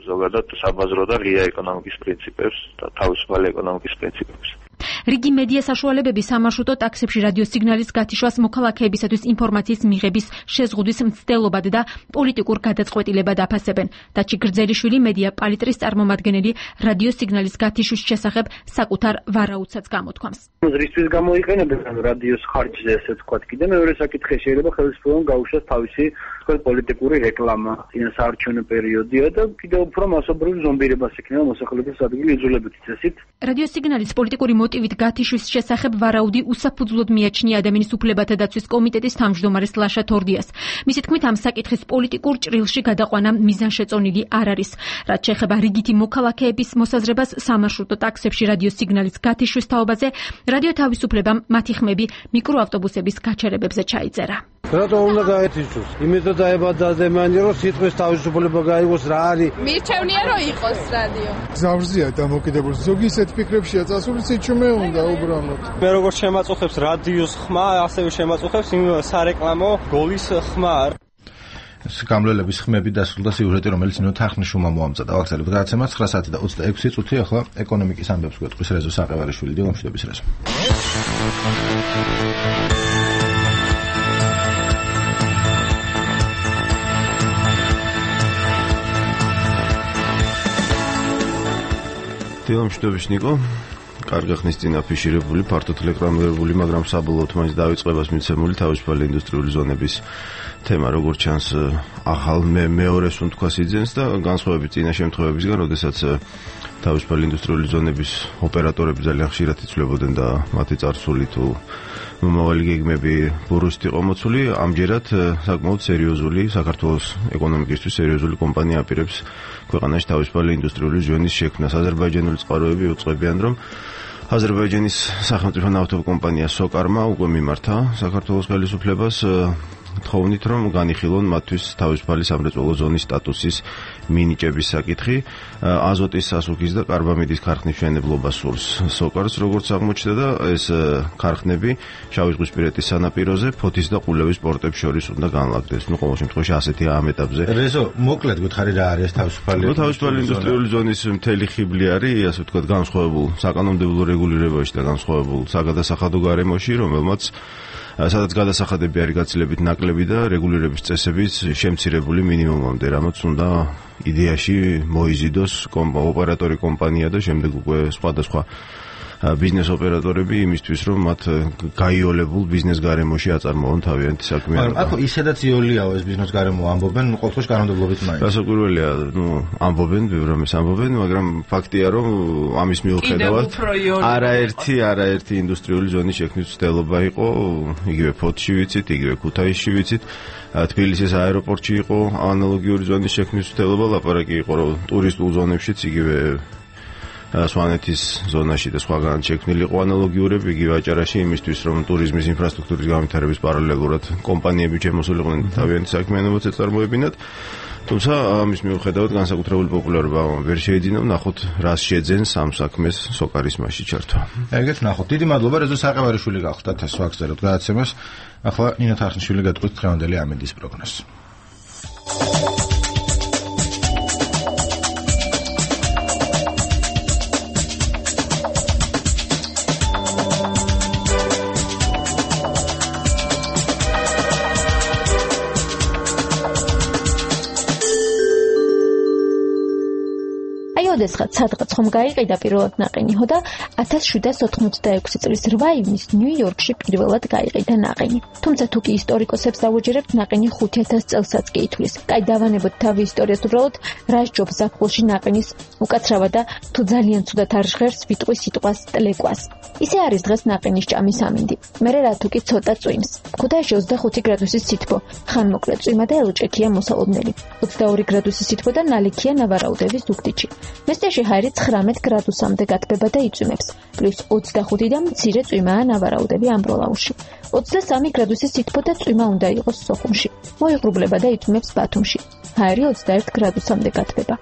ზოგადად საბაზრო და ღია ეკონომიკის პრინციპებს და თავისუფალი ეკონომიკის პრინციპებს. რიგი მედია საშუალებები სამარშრუტო ტაქსებში რადიო სიგნალის გათიშვას მოქალაქეებისათვის ინფორმაციის მიღების შეზღუდვის მცდელობად და პოლიტიკურ გადაწყვეტილებად აფასებენ. დაჩი გრძელიშვილი მედია პალიტრის წარმომადგენელი რადიო სიგნალის გათიშვის შესახებ საკუთარ ვარაუდსაც გამოთქვამს. რისთვის გამოიყენებენ რადიოს ხარჯზე, ესე ვთქვათ, კიდე მეორე საკითხი შეიძლება ხელისუფლებამ გაუშვას თავისი პოლიტიკური რეკლამა, წინასაარჩევნო პერიოდია და კიდევ უფრო მასობრივ ზომბირებას ექნება მოსახლეობის ადგილი იძულებით წესით. რადიო სიგნალის პოლიტიკური მოტივით გათიშვის შესახებ ვარაუდი უსაფუძვლოდ მიაჩნია ადამიანის უფლებათა დაცვის კომიტეტის თავმჯდომარეს ლაშა თორდიას. მისი თქმით, ამ საკითხის პოლიტიკურ ჭრილში გადაყვანა მიზანშეწონილი არ არის. რაც შეეხება რიგითი მოქალაქეების მოსაზრებას სამარშრუტო ტაქსებში რადიო სიგნალის გათიშვის თაობაზე, რადიო თავისუფლებამ მათი ხმები მიკროავტობუსების გაჩერებებზე ჩაიწერა. რატო უნდა გაეთიშოს? იმიტომ დაებადა ადამიანი, რომ სიტყვის თავისუფლება გაიგოს რა არის. მირჩევნია რომ იყოს რადიო. გზავრზეა დამოკიდებული. ზოგი ისეთ ფიქრებშია წასული, სიჩუმე უნდა უბრალოდ. მე როგორც შემაწუხებს რადიოს ხმა, ასევე შემაწუხებს იმ სარეკლამო გოლის ხმა. გამლელების ხმები დასრულდა სიუჟეტი, რომელიც ნინო თახნიშვილმა მოამზადა. ვახსენებთ გადაცემას ცხრა საათი და ოცდაექვსი წუთი, ახლა ეკონომიკის ამბებს გვეტყვის რეზო საყევარიშვილი. დილამშვიდობის რეზო. დილამშვიდობის ნიკო. კარგი ხნის წინ აფიშირებული, ფართოდ რეკლამირებული, მაგრამ საბოლოოდ მაინც დაიწყებას მიცემული თავისუფალი ინდუსტრიული ზონების თემა, როგორც ჩანს, ახალ მე მეორეს უნდა სიძენს და განსხვავებით წინა შემთხვევებისგან, როდესაც თავისუფალი ინდუსტრიული ზონების ოპერატორები ძალიან ხშირად იცვლებოდნენ და მათი წარსული თუ მომავალი გეგმები ბურუსით იყო მოცული, ამჯერად საკმაოდ სერიოზული საქართველოს ეკონომიკისთვის სერიოზული კომპანია აპირებს ქვეყანაში თავისუფალი ინდუსტრიული ზონის შექმნას. აზერბაიჯანული წყაროები უწყებიან, რომ აზერბაიჯანის სახელმწიფო ნავთობ კომპანია სოკარმა უკვე მიმართა საქართველოს ხელისუფლებას თხოვნით, რომ განიხილონ მათთვის თავისუფალი სამრეწველო ზონის სტატუსის მინიჭების საკითხი, აზოტის სასუქის და კარბამიდის ქარხნის მშენებლობა სურს სოკარს, როგორც აღმოჩნდა და ეს ქარხნები შავიზღვისპირეთის სანაპიროზე, ფოთის და ყულევის პორტებს შორის უნდა განლაგდეს. ნუ ყოველ შემთხვევაში ასეთია ამ ეტაპზე. რეზო, მოკლედ გითხარი რა არის თავისუფალი? ნუ თავისუფალი ინდუსტრიული ზონის მთელი ხიბლი არის, ასე ვთქვათ, განსხვავებულ საკანონმდებლო რეგულირებაში და განსხვავებულ საგადასახადო გარემოში, რომელმაც სადაც გადასახადები არის გაცილებით ნაკლები და რეგულირების წესებიც შემცირებული მინიმუმამდე, რამაც უნდა იდეაში მოიზიდოს ოპერატორი კომპანია და შემდეგ უკვე სხვადასხვა ბიზნეს ოპერატორები იმისთვის, რომ მათ გაიოლებულ ბიზნეს გარემოში აწარმოონ თავიანთი საქმიანობა. მაგრამ აქ ისედაც იოლიაო ეს ბიზნეს გარემო ამბობენ, ყოველთვის კანონმდებლობით მაინც. გასაკვირველია, ნუ ამბობენ, ბევრ რამეს ამბობენ, მაგრამ ფაქტია, რომ ამის მიუხედავად არაერთი არაერთი ინდუსტრიული ზონის შექმნის მცდელობა იყო, იგივე ფოთში ვიცით, იგივე ქუთაისში ვიცით, თბილისის აეროპორტში იყო ანალოგიური ზონის შექმნის მცდელობა, ლაპარაკი იყო, რომ ტურისტულ ზონებშიც იგივე სვანეთის ზონაში და სხვაგან შექმნილი იყო ანალოგიურები, იგივე აჭარაში იმისთვის, რომ ტურიზმის ინფრასტრუქტურის განვითარების პარალელურად კომპანიები შემოსულიყვნენ თავიანთი საქმიანობაც ეწარმოებინათ. თუმცა ამის მიუხედავად განსაკუთრებული პოპულარობა ვერ შეეძინა, ნახოთ რას შეძენს ამ საქმეს სოკარის მასში ჩართვა. ეგეთ ნახოთ. დიდი მადლობა რეზო საყევარიშვილი გახდათ ეს ვაგზავნოთ გადაცემას. ახლა ნინო თახნიშვილი გეტყვით დღევანდელი ამინდის პროგნოზს. ოდესღაც სადღაც ხომ გაიყიდა პირველად ნაყინიო და ათას შვიდსათ ოთხმოცდაექვსი წლის რვა ივნისს ნიუ-იორკში პირველად გაიყიდა ნაყინი. თუმცა თუ კი ისტორიკოსებს დავუჯერებთ, ნაყინი ხუთ ათას წელსაც კი ითვლის. კაი, დავანებოთ თავი ისტორიას, უბრალოდ რა სჯობს ზაფხულში ნაყინის უკაცრავა და თუ ძალიან ცუდად არ ჟღერს ვიტყვი სიტყვას ტლეკვას. ისე არის დღეს ნაყინის ჭამის ამინდი. მერე რა თუ კი ცოტა წვიმს. ქუთაისში ოცდახუთი გრადუსის სითბო, ხანმოკლე წვიმა და ელჭექია მოსალოდნელი. ოცდაორი გრადუსის სითბო და ნალექია ნავარაუდების ზუგდიდში. მესტიაში ჰაერი ცხრამეტ გრადუსამდე გათბება და იწვიმებს, პლუს ოცდახუთი და მცირე წვიმაა ნავარაუდები ამბროლაურში. ოცდასამი გრადუსის სითბო და წვიმა უნდა იყოს სოხუმში. მოიღრუბლება და იწვიმებს ბათუმში. ჰაერი ოცდაერთ გრადუსამდე გათბება.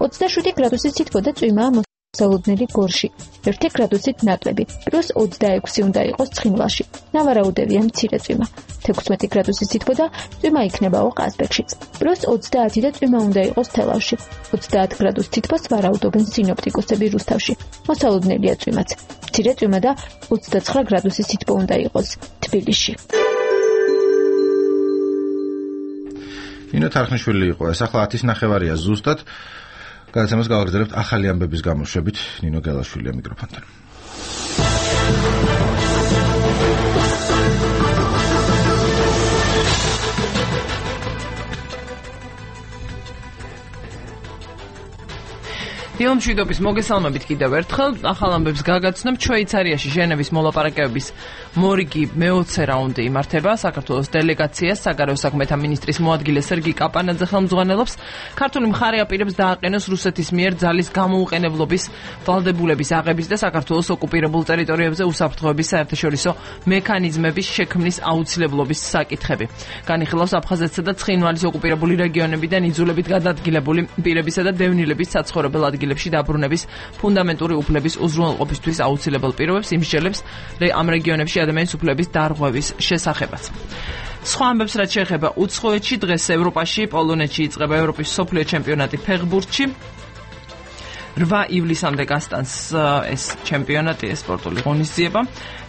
ოცდაშვიდი გრადუსის სითბო და წვიმაა მოსალოდნელი გორში, ერთი გრადუსით ნაკლები, პლუს ოცდაექვსი უნდა იყოს ცხინვალში. ნავარაუდევია მცირე წვიმა. თექვსმეტი გრადუსის სითბო და წვიმა იქნებაო ყაზბეგშიც. პლუს ოცდაათი და წვიმა უნდა იყოს თელავში. ოცდაათ გრადუს სითბოს ვარაუდობენ სინოპტიკოსები რუსთავში. მოსალოდნელია წვიმაც. მცირე წვიმა და ოცდაცხრა გრადუსის სითბო უნდა იყოს თბილისში. ნინო თარხნიშვილი იყო ეს, ახლა ათის ნახევარია ზუსტად. გადაცემას გავაგრძელებთ ახალი ამბების გამოშვებით. ნინო გელაშვილია მიკროფონთან. დილ მშვიდობის მოგესალმებით კიდევ ერთხელ. ახალ ამბებს გაგაცნობ. შვეიცარიაში ჟენევის მოლაპარაკებების მორიგი მეოცე რაუნდი იმართება. საქართველოს დელეგაციას საგარეო საქმეთა მინისტრის მოადგილე სერგი კაპანაძე ხელმძღვანელობს. ქართული მხარე აპირებს დააყენოს რუსეთის მიერ ძალის გამოუყენებლობის ვალდებულების აღების და საქართველოს ოკუპირებულ ტერიტორიებზე უსაფრთხოების საერთაშორისო მექანიზმების შექმნის აუცილებლობის საკითხები. განიხილავს აფხაზეთსა და ცხინვალის ოკუპირებული რეგიონებიდან იძულებით გადაადგილებული პირებისა და დევნილების საცხოვრებელ ადგილებში დაბრუნების ფუნდამენტური უფლების უზრუნველყოფისთვის აუცილებელ პირობებს იმსჯელებს ამ რეგიონებში ადამიანის უფლების დარღვევის შესახებაც. სხვა ამბებს რაც შეეხება უცხოეთში, დღეს ევროპაში, პოლონეთში იწყება ევროპის მსოფლიო ჩემპიონატი ფეხბურთში. რვა ივლისამდე გასტანს ეს ჩემპიონატი, ეს სპორტული ღონისძიება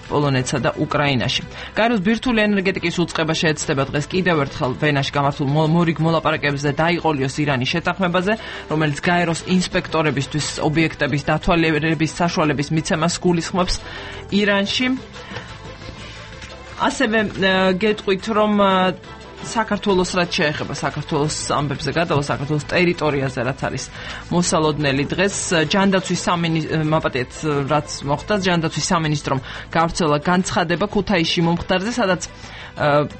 პოლონეთსა და უკრაინაში. გაეროს ბირთვული ენერგეტიკის უწყება შეეცდება დღეს კიდევ ერთხელ ვენაში გამართულ მორიგ მოლაპარაკებებზე დაიყოლიოს ირანის შეთანხმებაზე, რომელიც გაეროს ინსპექტორებისთვის ობიექტების დათვალიერების საშუალების მიცემას გულისხმობს ირანში. ასევე გეტყვით, რომ საქართველოს რაც შეეხება საქართველოს ამბებზე გადავალ საქართველოს ტერიტორიაზე რაც არის მოსალოდნელი დღეს ჯანდაცვის სამინისტრო მაპატეთ რაც მოხდა ჯანდაცვის სამინისტრომ გავრცელა განცხადება ქუთაისში მომხდარზე, სადაც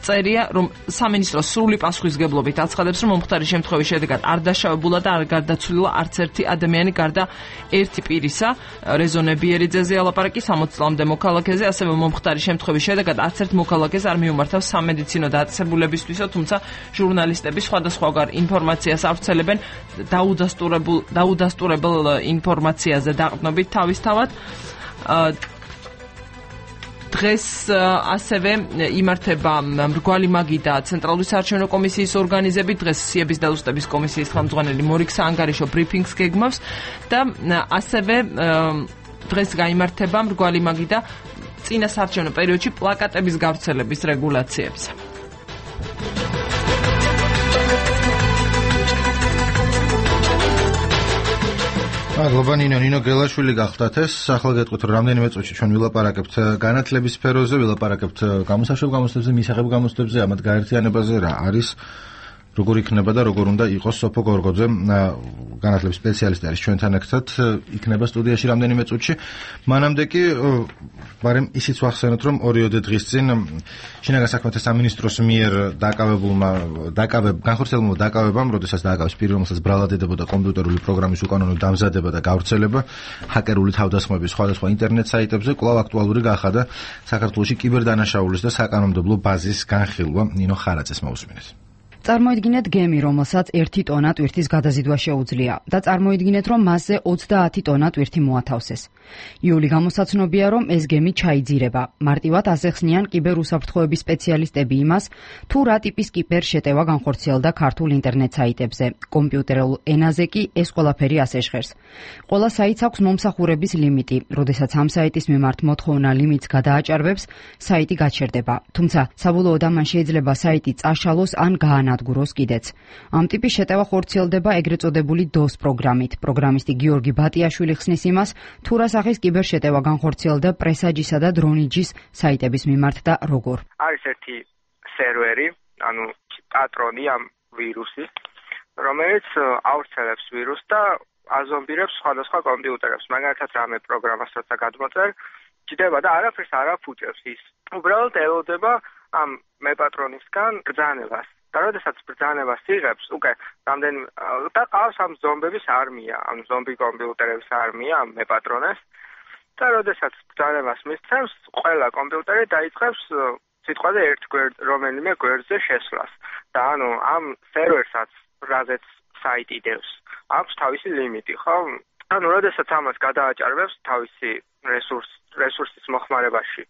წერია, რომ სამინისტრო სრული პასუხისგებლობით აცხადებს, რომ მომხდარის შემთხვევის შედეგად არ დაშავებულა და არ გარდაცვლილა არც ერთი ადამიანი გარდა ერთი პირისა. რეზონე ბიერიძეზე ალაპარაკი სამოც წლამდე მოქალაქეზე, ასევე მომხდარის შემთხვევის შედეგად არც ერთ მოქალაქეს არ მიუმართავს სამედიცინო დაწესებულებისთვისო, თუმცა ჟურნალისტები სხვადასხვაგვარ ინფორმაციას ავრცელებენ დაუდასტურებულ დაუდასტურებელ ინფორმაციაზე დაყრდნობით თავისთავად. დღეს ასევე იმართება მრგვალი მაგიდა ცენტრალური საარჩევნო კომისიის ორგანიზებით. დღეს სიების დაზუსტების კომისიის ხელმძღვანელი მორიგ საანგარიშო ბრიფინგს გეგმავს და ასევე დღეს გაიმართება მრგვალი მაგიდა წინა საარჩევნო პერიოდში პლაკატების გავრცელების რეგულაციებზე. მადლობა ნინო, ნინო გელაშვილი გახდათ ეს. ახლა გეტყვით, რომ რამდენიმე წუთში ჩვენ ვილაპარაკებთ განათლების სფეროზე, ვილაპარაკებთ გამოსაშვებ გამოცდებზე, მისაღებ გამოცდებზე, ამათ გაერთიანებაზე რა არის, როგორ იქნება და როგორ უნდა იყოს. სოფო გორგოძე, განათლების სპეციალისტი არის ჩვენთან ერთად, იქნება სტუდიაში რამდენიმე წუთში. მანამდე კი მაგრამ ისიც ვახსენოთ, რომ ორიოდე დღის წინ შინაგან საქმეთა სამინისტროს მიერ დაკავებულმა დაკავებ განხორციელებულმა დაკავებამ, როდესაც დააკავეს პირი, რომელსაც ბრალადებოდა კომპიუტერული პროგრამის უკანონო დამზადება და გავრცელება ჰაკერული თავდასხმების სხვადასხვა ინტერნეტ საიტებზე, კვლავ აქტუალური გახადა საქართველოში კიბერდანაშაულის და საკანონმდებლო ბაზის განხილვა. ნინო ხარაძეს მოусმინეთ. წარმოიდგინეთ გემი, რომელსაც ერთი ტონა ტვირთის გადაზიდვა შეუძლია და წარმოიდგინეთ, რომ მასზე ოცდაათი ტონა ტვირთი მოათავსეს. იული გამოსაცნობია, რომ ეს გემი ჩაიძირება. მარტივად ასეხსნიან კიბერუსაფრთხოების სპეციალისტები იმას, თუ რა ტიპის კიბერშეტევა განხორციელდა ქართულ ინტერნეტ საიტებზე. კომპიუტერულ ენაზე კი ეს ყველაფერი ასე ჟღერს. ყველა საიტს აქვს მომსახურების ლიმიტი. როდესაც ამ საიტის მიმართ მოთხოვნა ლიმიტს გადააჭარბებს, საიტი გაჩერდება. თუმცა საბოლოოდ ამან შეიძლება საიტი წაშალოს ან გაანადგუროს კიდეც. ამ ტიპის შეტევა ხორციელდება ეგრეთ წოდებული დოს პროგრამით. პროგრამისტი გიორგი ბატიაშვილი ხსნის იმას, თუ რა სახის კიბერშეტევა განხორციელდა პრესაჯისა და დრონიჯის საიტების მიმართ და როგორ. არის ერთი სერვერი, ანუ პატრონი ამ ვირუსის, რომელიც ავრცელებს ვირუსს და აზომბირებს სხვადასხვა კომპიუტერებს. მაგალითად, რამე პროგრამას როცა გადმოწერ, ჭდება და არაფერს არ აფუჭებს ის. უბრალოდ ელოდება ამ მეპატრონისგან ბრძანებას. და როდესაც ბრძანებას იღებს, უკვე რამდენი და ყავს ამ ზომბების არმია, ამ ზომბი კომპიუტერების არმია, ამ მეპატრონეს. და როდესაც ბრძანებას მისცემს, ყველა კომპიუტერი დაიწყებს სიტყვაზე ერთ გვერდ, რომელიმე გვერდზე შესვლას. და ანუ ამ სერვერსაც, რაზეც საიტი დევს, აქვს თავისი ლიმიტი, ხო? ანუ როდესაც ამას გადააჭარბებს თავისი რესურს რესურსის მოხმარებაში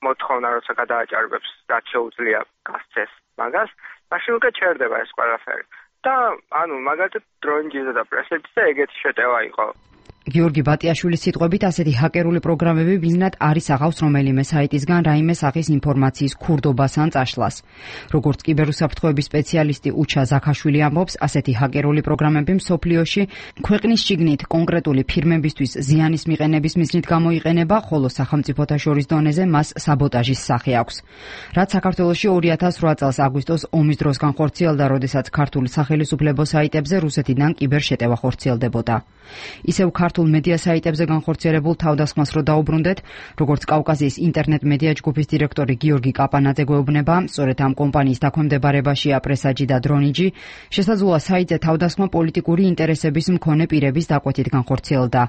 მოთხოვნა, როცა გადააჭარბებს რაც შეუძლია გასცეს მაგას, მაშინ უკვე ჩერდება ეს ყველაფერი. და ანუ მაგალითად დროინჯიზე და პრესეთზე ეგეთი შეტევა იყო. გიორგი ბატიაშვილის სიტყვებით ასეთი ჰაკერული პროგრამები ბიზნესად არის აღავს რომელიმე საიტისგან რაიმე სახის ინფორმაციის ქურდობას ან წაშლას. როგორც კიბერუსაფრთხოების სპეციალისტი უჩა ზაქაშვილი ამბობს, ასეთი ჰაკერული პროგრამები მსოფლიოში ქვეყნის შიგნით კონკრეტული ფირმებისთვის ზიანის მიყენების მიზნით გამოიყენება, ხოლო სახელმწიფოთა შორის დონეზე მას საბოტაჟის სახე აქვს. რაც საქართველოში ორი ათას რვა წელს აგვისტოს ომის დროს განხორციელდა, როდესაც ქართული სახელმწიფო საიტებზე რუსეთიდან კიბერშეტევა ხორციელდებოდა. ისევ ქართულ მედია საიტებზე განხორციელებულ თავდასხმას რო დაუბრუნდეთ, როგორც კავკასიის ინტერნეტ მედია ჯგუფის დირექტორი გიორგი კაპანაძე გვეუბნება, სწორედ ამ კომპანიის დაქვემდებარებაშია პრესაჯი და დრონიჯი, შესაძლოა საიტზე თავდასხმა პოლიტიკური ინტერესების მქონე პირების დაკვეთით განხორციელდა.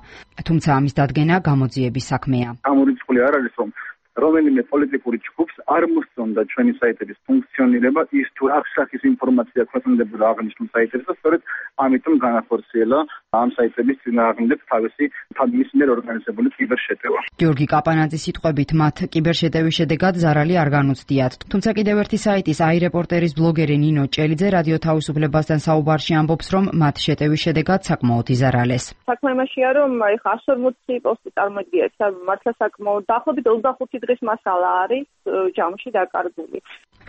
თუმცა ამის დადგენა გამოძიების საქმეა. გამორიცხული არ არის, რომ რომელიმე პოლიტიკური ჯგუფს არ მოსწონდა ჩვენი საიტების ფუნქციონირება, ის თუ აქ სახის ინფორმაცია ქვეყნდებოდა აღნიშნულ საიტებზე, სწორედ ამიტომ განახორციელა ამ საიტების წინააღმდეგ თავისი თავის მიერ ორგანიზებული კიბერშეტევა. გიორგი კაპანაძის სიტყვებით, მათ კიბერშეტევის შედეგად ზარალი არ განუცდიათ. თუმცა კიდევ ერთი საიტის აირეპორტერის ბლოგერი ნინო ჭელიძე რადიო თავისუფლებასთან საუბარში ამბობს, რომ მათ შეტევის შედეგად საკმაოდ იზარალეს. საქმე იმაშია, რომ აი ხარს ორმოცი პოსტი წარმოგიდგენთ, მართლა საკმაოდ დაახლოებით ოცდახუთი დღის მასალა არის ჯამში დაკარგული.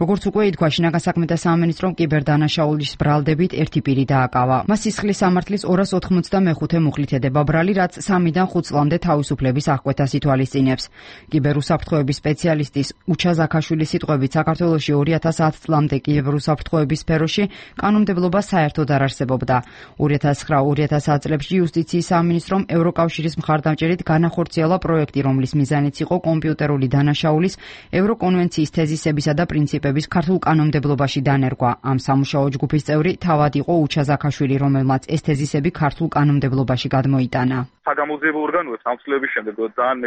როგორც უკვე ითქვა, შინაგან საქმეთა სამინისტრომ კიბერდანაშაულის ბრალდებით ერთი პირი დააკავა. მას სისხლის სამართლის ორას ოთხმოცდამეხუთე მუხლით ედება ბრალი, რაც სამიდან ხუთ წლამდე თავისუფლების აღკვეთას ითვალისწინებს. კიბერუსაფრთხოების სპეციალისტის უჩა ზაქაშვილის სიტყვებით, საქართველოში ორი ათას ათ წლამდე კიბერუსაფრთხოების სფეროში კანონმდებლობა საერთოდ არ არსებობდა. ორი ათას ცხრა ორი ათას ათ წლებში იუსტიციის სამინისტრომ ევროკავშირის მხარდამჭერით განახორციელა პროექტი, რომლის მიზანიც იყო კომპიუტერული დანაშაულის ევროკონვენციის თეზისებისა და პრინციპების ქართულ კანონმდებლობაში დანერგვა. ამ სამუშაო ჯგუფის წევრი თავად იყო უჩა ზაქაშვილი, რომელმაც ეს თეზისები ქართულ კანონმდებლობაში გადმოიტანა. საგამოძიებო ორგანოებს ამ ცვლილების შემდეგ ძალიან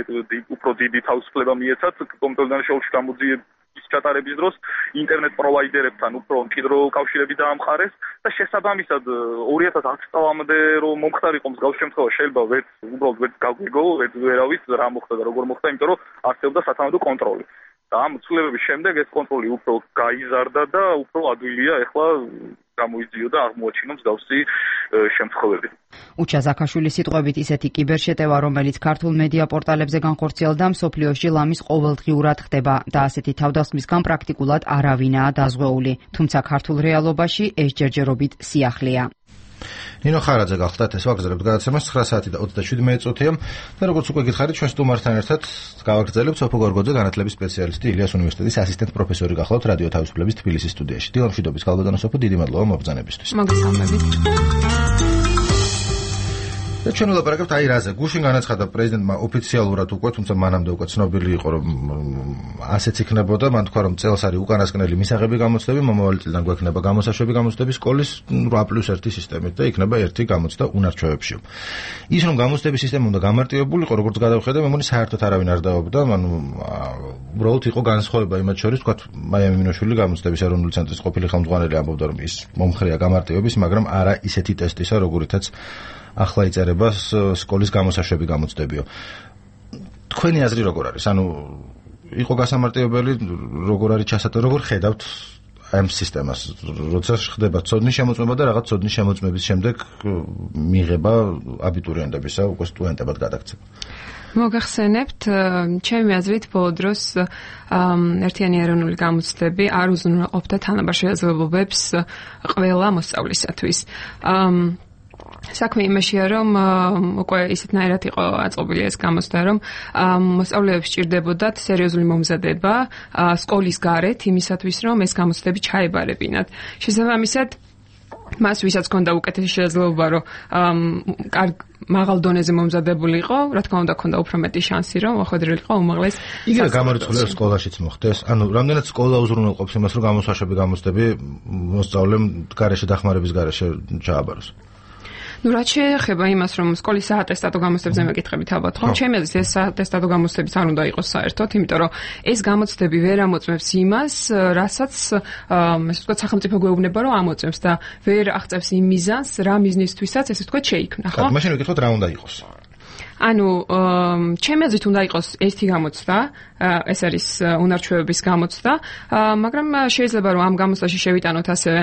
უფრო დიდი თავისუფლება მიეცათ კომპიუტერულ დანაშაულში გამოძიების ჩატარების დროს ინტერნეტ პროვაიდერებთან უფრო მჭიდრო კავშირები დაამყარეს და შესაბამისად ორი ათას ათ წლამდე რომ მომხდარიყო მსგავს შემთხვევაში შეიძლება ვერც უბრალოდ ვერც გაგვიგო, ვერც ვერავის რა მოხდა და როგორ მოხდა, იმიტომ რომ არსებობდა სათანადო კონტროლი. და ამ ცვლილებების შემდეგ ეს კონტროლი უფრო გაიზარდა და უფრო ადვილია ეხლა გამოიძიოდა აღმოაჩინო მსგავსი შემთხვევები. უჩა ზაქაშვილის სიტყვებით, ისეთი კიბერშეტევა, რომელიც ქართულ მედია პორტალებზე განხორციელდა, მსოფლიოში ლამის ყოველდღიურად ხდება და ასეთი თავდასხმისგან პრაქტიკულად არავინაა დაზღვეული. თუმცა ქართულ რეალობაში ეს ჯერჯერობით სიახლეა. ნინო ხარაძე გახლდათ, ეს ვაგრძელებთ გადაცემას ცხრა საათი და ოცდაშვიდი მეწუთია და როგორც უკვე გითხარით, ჩვენ სტუმართან ერთად გავაგრძელებთ სოფო გორგოძე, განათლების სპეციალისტი, ილიას უნივერსიტეტის ასისტენტ პროფესორი გახლავთ რადიო თავისუფლების თბილისის სტუდიაში. დილამშვიდობის გალბადანო სოფო, დიდი მადლობა მობრძანებისთვის. მოგესალმებით. და ჩვენ ვლაპარაკებთ აი რაზე. გუშინ განაცხადა პრეზიდენტმა ოფიციალურად უკვე, თუმცა მანამდე უკვე ცნობილი იყო, რომ ასეც იქნებოდა. მან თქვა, რომ წელს არის უკანასკნელი მისაღები გამოცდები, მომავალი წლიდან გვექნება გამოსაშვები გამოცდები სკოლის რვა პლუს ერთი სისტემით და იქნება ერთი გამოცდა უნარჩვევებში. ის რომ გამოცდების სისტემა უნდა გამარტივებულიყო, როგორც გადავხედე, მე მგონი საერთოდ არავინ არ დაობდა, ანუ უბრალოდ იყო განსხვავება იმათ შორის, თქვა მაიამი მინოშვილი გამოცდების ეროვნული ცენტრის ყოფილი ხელმძღვანელი ამბობდა, რომ ის მომხრეა გამარტივების, მაგრამ არა ისეთი ტესტისა, როგორითაც ახლა იწერება სკოლის გამოსაშვები გამოცდებიო. თქვენი აზრი როგორ არის? ანუ იყო გასამარტივებელი, როგორ არის ჩასატო, როგორ ხედავთ ამ სისტემას, როცა ხდება ცოდნის შემოწმება და რაღაც ცოდნის შემოწმების შემდეგ მიიღება აბიტურიენტებისა, უკვე სტუდენტებად გადაქცევა. მოგახსენებთ, ჩემი აზრით ბოლო დროს ერთიანი ეროვნული გამოცდები არ უზრუნველყოფდა თანაბარ შესაძლებლობებს ყველა მოსწავლისათვის. საქმე იმაშია, რომ უკვე ისეთნაირად იყო აწყობილი ეს გამოცდა, რომ მოსწავლეებს სჭირდებოდათ სერიოზული მომზადება სკოლის გარეთ იმისათვის, რომ ეს გამოცდები ჩაებარებინათ. შესაბამისად, მას ვისაც ჰქონდა უკეთესი შესაძლებლობა, რომ კარგ მაღალ დონეზე მომზადებული იყო, რა თქმა უნდა, ჰქონდა უფრო მეტი შანსი, რომ მოხვედრილიყო უმაღლეს. იგივე გამორიცხულია სკოლაშიც მოხდეს. ანუ რამდენად სკოლა უზრუნველყოფს იმას, რომ გამოსაშვები გამოცდები მოსწავლემ გარეშე დახმარების გარეშე ჩააბაროს. ნუ რაც შეეხება იმას, რომ სკოლის საატესტატო გამოცდებზე მეკითხებით ალბათ, ხო? ჩემი აზრით ეს საატესტატო გამოცდებიც არ უნდა იყოს საერთოდ, იმიტომ რომ ეს გამოცდები ვერ ამოწმებს იმას, რასაც ესე ვთქვათ სახელმწიფო გვეუბნება, რომ ამოწმებს და ვერ აღწევს იმ მიზანს, რა მიზნისთვისაც ესე ვთქვათ შეიქმნა, ხო? მაშინ ვიკითხოთ რა უნდა იყოს. ანუ ჩემი აზრით უნდა იყოს ერთი გამოცდა, ეს არის უნარჩვევების გამოცდა, მაგრამ შეიძლება რომ ამ გამოცდაში შევიტანოთ ასევე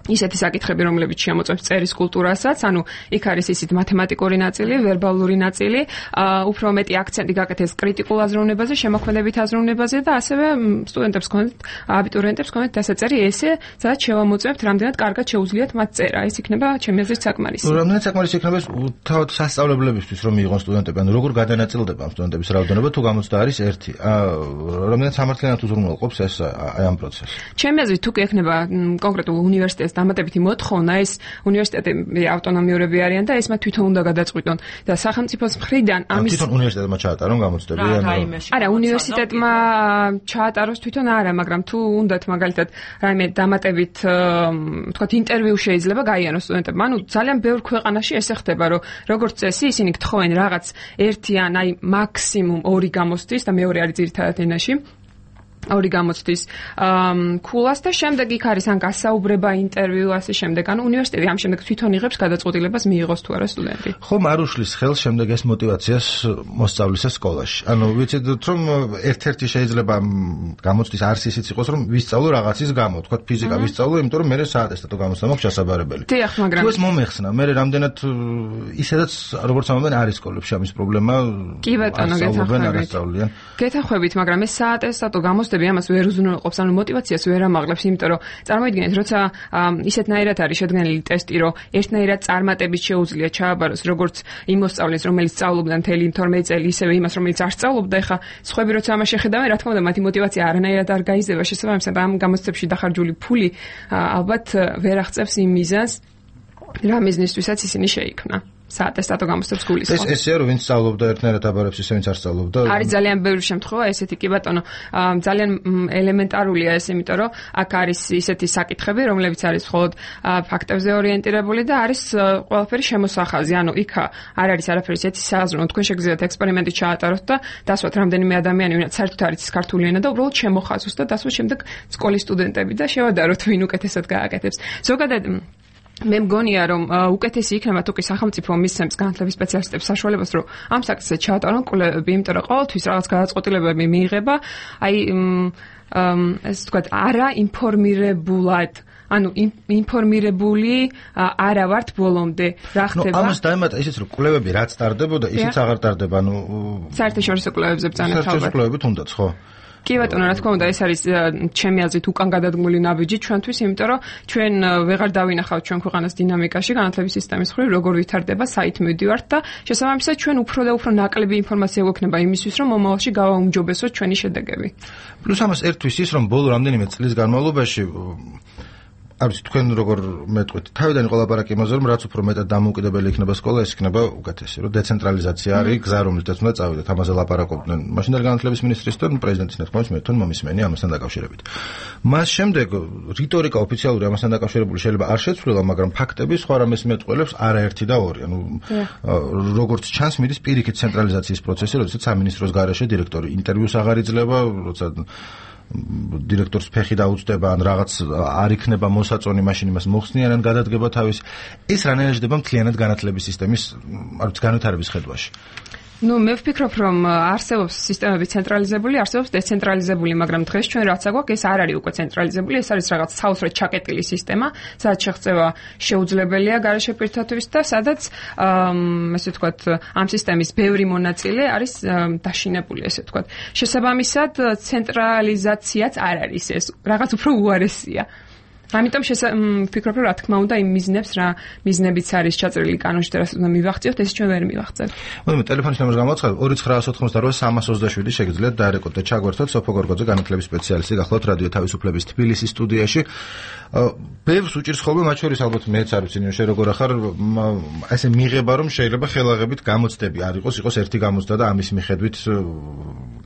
ისეთი საკითხები, რომლებიც შემოწმებს წერის კულტურასაც, ანუ იქ არის ისიც მათემატიკური ნაწილი, ვერბალური ნაწილი, უფრო მეტი აქცენტი გაკეთეს კრიტიკულ აზროვნებაზე, შემოქმედებით აზროვნებაზე და ასევე სტუდენტებს გქონდეთ, აბიტურიენტებს გქონდეთ დასაწერი ესე, სადაც შევამოწმებთ, რამდენად კარგად შეუძლიათ მათ წერა. ეს იქნება ჩემი აზრით საკმარისი. რამდენად საკმარისი იქნება თავად სასწავლებლებისთვის, რომ მიიღონ სტუდენტები, ანუ როგორ გადანაწილდება ამ სტუდენტების რაოდენობა, თუ გამოცდა არის ერთი. რამდენად სამართლიანად უზრუნველყოფს ეს აი ამ პროცესს. ჩემი აზრით თუ ექნება კონკრეტულ უნივერსიტეტს დამატებითი მოთხოვნა, ეს უნივერსიტეტები ავტონომიურები არიან და ეს მათ თვითონ უნდა გადაწყვიტონ და სახელმწიფოს მხრიდან ამის თვითონ უნივერსიტეტმა ჩაატარონ გამოცდები ან არა უნივერსიტეტმა ჩაატაროს თვითონ არა, მაგრამ თუ უნდათ მაგალითად რაიმე დამატებით თქვათ ინტერვიუ შეიძლება გაიანოს სტუდენტებმა, ანუ ძალიან ბევრ ქვეყანაში ესე ხდება, რომ როგორც წესი ისინი გთხოვენ რაღაც ერთი ან აი მაქსიმუმ ორი გამოცდის და მეორე არის ძირითადად ენაში ორი გამოცდის ქულას და შემდეგ იქ არის ან გასაუბრება, ინტერვიუ, ასე შემდეგ. ანუ უნივერსიტეტი ამ შემდეგ თვითონ იღებს გადაწყვეტილებას მიიღოს თუ არა სტუდენტი. ხომ არ უშლის ხელს შემდეგ ეს мотиваციას მოსწავლისა სკოლაში. ანუ ვიცით რომ ერთ-ერთი შეიძლება გამოცდის არსისიც იყოს, რომ ვისწავლო რაღაცის გამო, თქვა ფიზიკა ვისწავლო, იმიტომ რომ მე საატესტატო გამოცდა მაქვს შესაძლებელი. დიახ, მაგრამ თუ ეს მომეხსნა, მე რამდენად ისედაც როგორც ამბობენ არის სკოლებში ამის პრობლემა. კი ბატონო, გეთანხმებით. გეთანხმებით, მაგრამ ეს საატესტატო გამოცდა ამას ვერ უზრუნველყოფს, ანუ мотиваციას ვერ ამაღლებს, იმიტომ რომ წარმოიდგინეთ, როცა ისეთნაირად არის შედგენილი ტესტი, რომ ერთნაირად წარმატებით შეუძლია ჩააბაროს როგორც იმ მოსწავლეს, რომელიც სწავლობდა მთელი თორმეტ წელი, ისევე იმას, რომელიც არ სწავლობდა, ეხა სხვები როცა ამას შეხედავენ, რა თქმა უნდა, მათი мотиваცია არანაირად არ გაიზრდება, შესაბამისად ამ გამოცდებში დახარჯული ფული ალბათ ვერ აღწევს იმ მიზანს, რა მიზნისთვისაც ისინი შეიქმნა. საატესტატო გამოცდებს გულისხმობს. ეს ესეა რომ ვინც სწავლობდა ერთნაირად აბარებს ისე ვინც არ სწავლობდა. არის ძალიან ბევრი შემთხვევა ესეთი კი ბატონო, ძალიან ელემენტარულია ეს, იმიტომ რომ აქ არის ისეთი საკითხები, რომლებიც არის მხოლოდ ფაქტებზე ორიენტირებული და არის ყველაფერი შემოსახაზი. ანუ იქ არ არის არაფერი ისეთი სააზროვნო, თქვენ შეგიძლიათ ექსპერიმენტი ჩაატაროთ და დასვათ რამდენიმე ადამიანი, ვინაც საერთოდ არ იცის ქართული ენა და უბრალოდ შემოხაზოს და დასვათ შემდეგ სკოლის სტუდენტები და შევადაროთ ვინ უკეთესად გააკეთებს. ზოგადად მე მგონია რომ უკეთესი იქნება თუ კი სახელმწიფო მისცემს განათლების სპეციალისტებს საშუალებას რომ ამ საკითხზე ჩაატარონ კვლევები, იმიტომ რომ ყოველთვის რაღაც გადაწყვეტილებები მიიღება, აი ეს თქვათ არა ინფორმირებულად, ანუ ინფორმირებული არა ვართ ბოლომდე რა ხდება. ნუ ამას დაემატა ისიც რომ კვლევები რაც ტარდებოდა, ისიც აღარ ტარდება, ანუ საერთაშორისო კვლევებზე ბრძანებთ ალბათ. საერთაშორისო კვლევებით უნდათ, ხო? კი ბატონო, რა თქმა უნდა, ეს არის ჩემი აზრით უკან გადადგმული ნაბიჯი ჩვენთვის, იმიტომ რომ ჩვენ ვეღარ დავინახავთ ჩვენ ქვეყანას დინამიკაში განათლების სისტემის მხრივ, როგორ ვითარდება, საით მივდივართ და შესაბამისად ჩვენ უფრო და უფრო ნაკლები ინფორმაცია გვექნება იმისთვის, რომ მომავალში გავაუმჯობესოთ ჩვენი შედეგები. პლუს ამას ერთვის ის, რომ ბოლო რამდენიმე წლის განმავლობაში არ ვიცი თქვენ როგორ მეტყვით. თავიდან იყო ლაპარაკი იმაზე, რომ რაც უფრო მეტად დამოუკიდებელი იქნება სკოლა, ეს იქნება უკეთესი, რომ დეცენტრალიზაცია არის გზა, რომელზეც უნდა წავიდეთ. ამაზე ლაპარაკობდნენ მაშინდელი განათლების მინისტრის და პრეზიდენტის ნათქვამის მე თვითონ მომისმენი ამასთან დაკავშირებით. მას შემდეგ რიტორიკა ოფიციალური ამასთან დაკავშირებული შეიძლება არ შეცვლილა, მაგრამ ფაქტები სხვა რამეს მეტყველებს არაერთი და ორი. ანუ როგორც ჩანს, მიდის პირიქით ცენტრალიზაციის პროცესი, როდესაც სამინისტროს გარეშე დირექტორი ინტერვიუს აღარ იძლევა, როცა დირექტორს ფეხი დაუწდება ან რაღაც არ იქნება მოსაწონი, მაშინ იმას მოხსნიან ან გადადგება თავის. ეს რანაირად ხდება მთლიანად განათლების სისტემის არ ვიცი განვითარების ხედვაში. ნუ მე ვფიქრობ, რომ არსებობს სისტემები ცენტრალიზებული, არსებობს დეცენტრალიზებული, მაგრამ დღეს ჩვენ რაც აგვაქვს, ეს არ არის უკვე ცენტრალიზებული, ეს არის რაღაც საოცრად ჩაკეტილი სისტემა, სადაც შეღწევა შეუძლებელია გარეშე პირთათვის და სადაც ესე ვთქვათ, ამ სისტემის ბევრი მონაწილე არის დაშინებული, ესე ვთქვათ. შესაბამისად, ცენტრალიზაციაც არ არის ეს, რაღაც უფრო უარესია. ამიტომ ვფიქრობ, რომ რა თქმა უნდა იმ მიზნებს რა მიზნებიც არის ჩაწერილი კანონში და რასაც უნდა მივახციოთ, ეს ჩვენ ვერ მივახცევთ. მოდით ტელეფონის ნომერს გამოაცხადოთ ორი ცხრა ოთხმოცდაოთხი სამას ოცდაშვიდი შეგიძლიათ დაერეკოთ და ჩაგვერთოთ სოფო გორგოძე განათლების სპეციალისტი გახლავთ რადიო თავისუფლების თბილისის სტუდიაში. ბევრს უჭირს ხოლმე მათ შორის ალბათ მეც არ ვიცი შე როგორ ახარ ესე მიღება რომ შეიძლება ხელაღებით გამოცდები არ იყოს, იყოს ერთი გამოცდა და ამის მიხედვით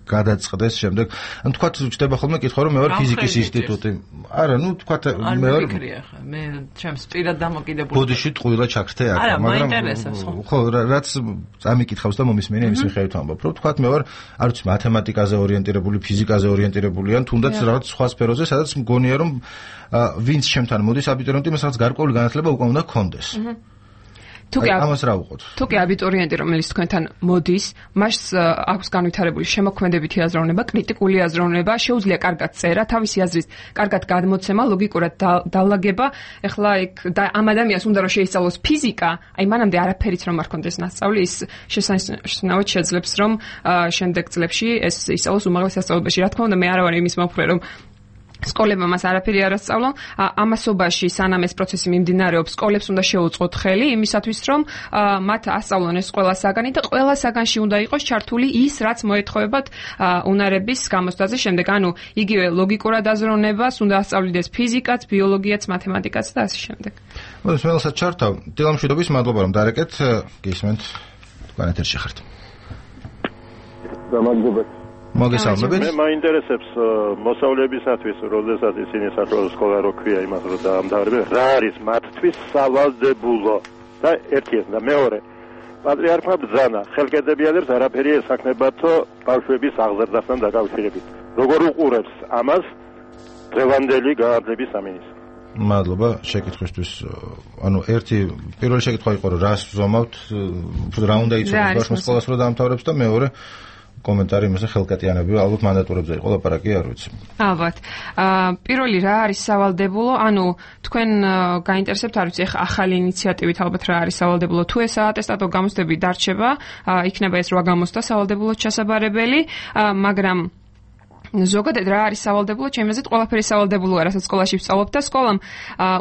გადაწყდეს შემდეგ. ანუ თქვათ ჩდება ხოლმე კითხვა რომ მე ვარ ფიზიკის ინსტიტუტი. არა, ნუ თქვათ მე ვფიქრია ხა მე ჩემს პირად დამოკიდებული ბოდიში ტყუილა ჩაქრთე აქ მაგრამ მაინტერესებს ხო ხო რაც ამიკითხავს და მომისმენი იმის მიხედვით ამბობ რომ თქვა მე ვარ არ ვიცი მათემატიკაზე ორიენტირებული ფიზიკაზე ორიენტირებული ან თუნდაც რაღაც სხვა სფეროზე სადაც მგონია რომ ვინც ჩემთან მოდის აბიტურიენტი მას რაღაც გარკვეული განათლება უკვე უნდა ჰქონდეს თუკი ამას რა უყოთ თუკი აბიტურიენტი რომელიც თქვენთან მოდის მას აქვს განვითარებული შემოქმედებითი აზროვნება კრიტიკული აზროვნება შეუძლია კარგად წერა თავისი აზრის კარგად გადმოცემა ლოგიკურად დალაგება ეხლა იქ ამ ადამიანს უნდა რომ შეისწავლოს ფიზიკა აი მანამდე არაფერიც რომ არ ქონდეს ნასწავლი ის შესანიშნავად შეძლებს რომ შემდეგ წლებში ეს ისწავლოს უმაღლეს სასწავლებელში რა თქმა უნდა მე არ ვარ იმის მომხრე რომ სკოლებმა მას არაფერი არ ასწავლონ. ამასობაში სანამ ეს პროცესი მიმდინარეობს, სკოლებს უნდა შეუწყოთ ხელი იმისათვის, რომ მათ ასწავლონ ეს ყველა საგანი და ყველა საგანში უნდა იყოს ჩართული ის, რაც მოეთხოვებათ უნარების გამოცდაზე შემდეგ. ანუ იგივე ლოგიკურად აზროვნებას უნდა ასწავლიდეს ფიზიკაც, ბიოლოგიაც, მათემატიკაც და ასე შემდეგ. მოდით რომელსაც ჩართავ. დილამშვიდობის მადლობა რომ დარეკეთ. გისმენთ თქვენ ეთერში ხართ. გამარჯობათ. მოგესალმებით. მე მაინტერესებს მოსავლებისათვის, როდესაც ისინი საჯარო სკოლა რო ქვია იმას რომ დაამთავრებენ, რა არის მათთვის სავალდებულო და ერთი ეს და მეორე პატრიარქმა ბრძანა ხელკედებიანებს არაფერი ესახნებათო ბავშვების აღზრდასთან დაკავშირებით. როგორ უყურებს ამას დღევანდელი გაარდნების სამინისტრო? მადლობა შეკითხვისთვის. ანუ ერთი პირველი შეკითხვა იყო რომ რას ვზომავთ, რა უნდა იცოდეს ბავშვი სკოლას რო დაამთავრებს და მეორე კომენტარი იმაზე ხელკატიანები ალბათ მანდატურებზე იყო ლაპარაკი არ ვიცი. ალბათ. პირველი რა არის სავალდებულო? ანუ თქვენ გაინტერესებთ არ ვიცი ახლა ახალი ინიციატივით ალბათ რა არის სავალდებულო? თუ ეს ატესტატო გამოცდები დარჩება, იქნება ეს რვა გამოცდა სავალდებულოდ ჩასაბარებელი, მაგრამ ზოგადად რა არის სავალდებულო? ჩემი აზრით ყველაფერი სავალდებულოა, რასაც სკოლაში ვსწავლობ და სკოლამ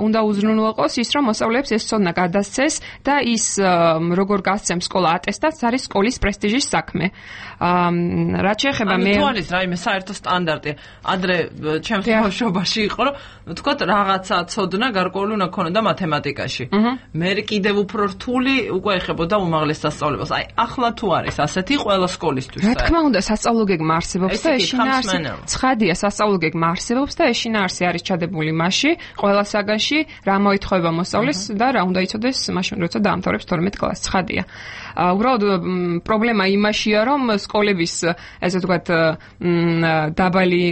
უნდა უზრუნველყოს ის, რომ მოსწავლეებს ეს ცოდნა გადასცეს და ის როგორ გასცემს სკოლა ატესტატს არის სკოლის პრესტიჟის საქმე. რაც შეეხება მე ანუ თუ არის რაიმე საერთო სტანდარტი, ადრე ჩემს ბავშვობაში იყო, რომ ვთქვათ რაღაცა ცოდნა გარკვეული უნდა ქონოდა მათემატიკაში. მე კიდევ უფრო რთული უკვე ეხებოდა უმაღლეს სასწავლებას. აი ახლა თუ არის ასეთი ყველა სკოლისთვის. რა თქმა უნდა, სასწავლო გეგმა არსებობს და ეს შინაარსი ცხადია სასწავლო გეგმა არსებობს და ეს შინაარსი არის ჩადებული მასში, ყველა საგანში რა მოითხოვება მოსწავლეს და რა უნდა იცოდეს მაშინ როცა დაამთავრებს თორმეტ კლასს, ცხადია. უბრალოდ პრობლემა იმაშია, რომ სკოლების ესე ვთქვათ დაბალი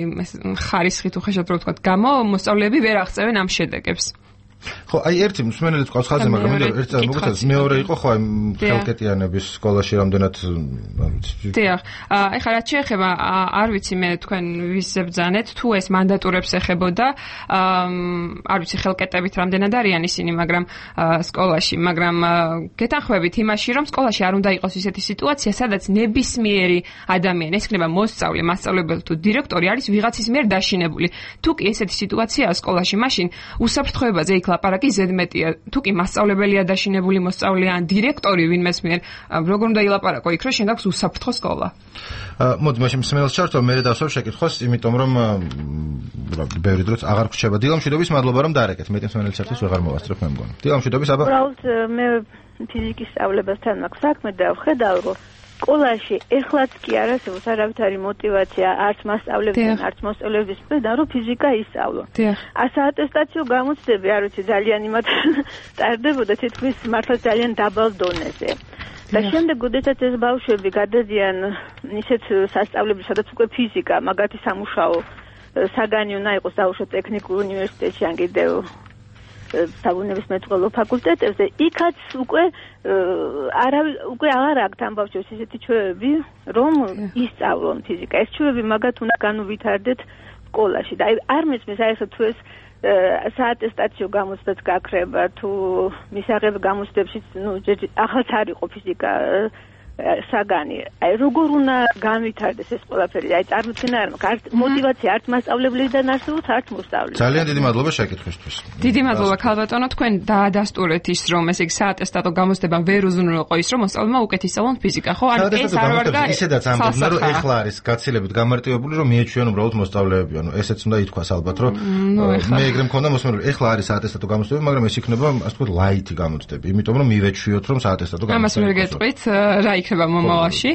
ხარისხით უხეშად რო ვთქვათ გამო მოსწავლეები ვერ აღწევენ ამ შედეგებს. ხო, აი ერთი მსმენელი თქვავს ხაზზე, მაგრამ მინდა ერთ წამს მოგეცადეთ, მეორე იყო ხო აი ხელკეტიანების სკოლაში რამდენად არ ვიცი. დიახ. ეხლა რაც შეეხება, არ ვიცი მე თქვენ ვისზე ბრძანეთ, თუ ეს მანდატურებს ეხებოდა, არ ვიცი ხელკეტებით რამდენად არიან ისინი, მაგრამ სკოლაში, მაგრამ გეთანხმებით იმაში, რომ სკოლაში არ უნდა იყოს ისეთი სიტუაცია, სადაც ნებისმიერი ადამიანი, ეს იქნება მოსწავლე, მასწავლებელი თუ დირექტორი არის ვიღაცის მიერ დაშინებული. თუ კი ესეთი სიტუაციაა სკოლაში, მაშინ უსაფრთხოებაზე იქ ლაპარაკი ზედმეტია. თუ კი მასწავლებელია დაშინებული მოსწავლე ან დირექტორი ვინმეს მიერ, როგორ უნდა ილაპარაკო იქ, რომ შენ გაქვს უსაფრთხო სკოლა. მოდი მაშინ მსმენელს ჩართო, მე დავსვამ შეკითხვას, იმიტომ რომ ბევრი დროც აღარ გრჩება. დილამშვიდობის მადლობა რომ დაარეკეთ. მეტი მსმენელის ერთის ვეღარ მოვასწრებ მე მგონი. დილამშვიდობის აბა. უბრალოდ მე ფიზიკის სწავლებასთან მაქვს საქმე და ვხედავ რომ სკოლაში ეხლაც კი არ არსებობს არავითარი мотиваცია არც მასწავლებლებთან, არც მოსწავლეების მხრიდან, რომ ფიზიკა ისწავლო. ასაატესტაციო გამოცდები, არ ვიცი, ძალიან იმათ ტარდებოდა თითქმის მართლა ძალიან დაბალ დონეზე. და შემდეგ ოდესაც ეს ბავშვები გადადიან ისეთ სასწავლებელში, სადაც უკვე ფიზიკა, მაგათი სამუშაო საგანი უნდა იყოს დაუშვათ ტექნიკურ უნივერსიტეტში ან კიდევ საბუნებისმეტყველო ფაკულტეტებზე, იქაც უკვე არა უკვე აღარ აქვს ამ ბავშვებს ისეთი ჩვევები, რომ ისწავლონ ფიზიკა. ეს ჩვევები მაგათ უნდა განუვითარდეთ სკოლაში. და აი არ მესმის აი ეს თუ ეს საატესტაციო გამოცდაც გაქრება, თუ მისაღებ გამოცდებში, ნუ ახალც არ იყო ფიზიკა საგანი. აი როგორ უნდა განვითარდეს ეს ყველაფერი? აი წარმოიდგინე არ მაქვს, არც мотиваცია, არც მასწავლებლებიდან არსებობს, არც მოსწავლეებიდან. ძალიან დიდი მადლობა შეკითხვისთვის. დიდი მადლობა ქალბატონო, თქვენ დაადასტურეთ ის, რომ ესე იგი საატესტატო გამოცდება ვერ უზრუნველყო ის, რომ მოსწავლემა უკეთ ისწავლონ ფიზიკა, ხო? ანუ ეს არ ვარ და ისედაც ამბობდნენ, რომ ეხლა არის გაცილებით გამარტივებული, რომ მიეჩვიონ უბრალოდ მოსწავლეები, ანუ ესეც უნდა ითქვას ალბათ, რომ მე ეგრე მქონდა მოსმენელი. ეხლა არის საატესტატო გამოცდები, მაგრამ ეს იქნება ასე ვთქვათ ლაითი გამოცდები, იმიტომ რომ მივეჩვიოთ, რომ საატესტატო გამოცდები. ამას ვერ გეტყვით, რა იქნება იქნება მომავალში,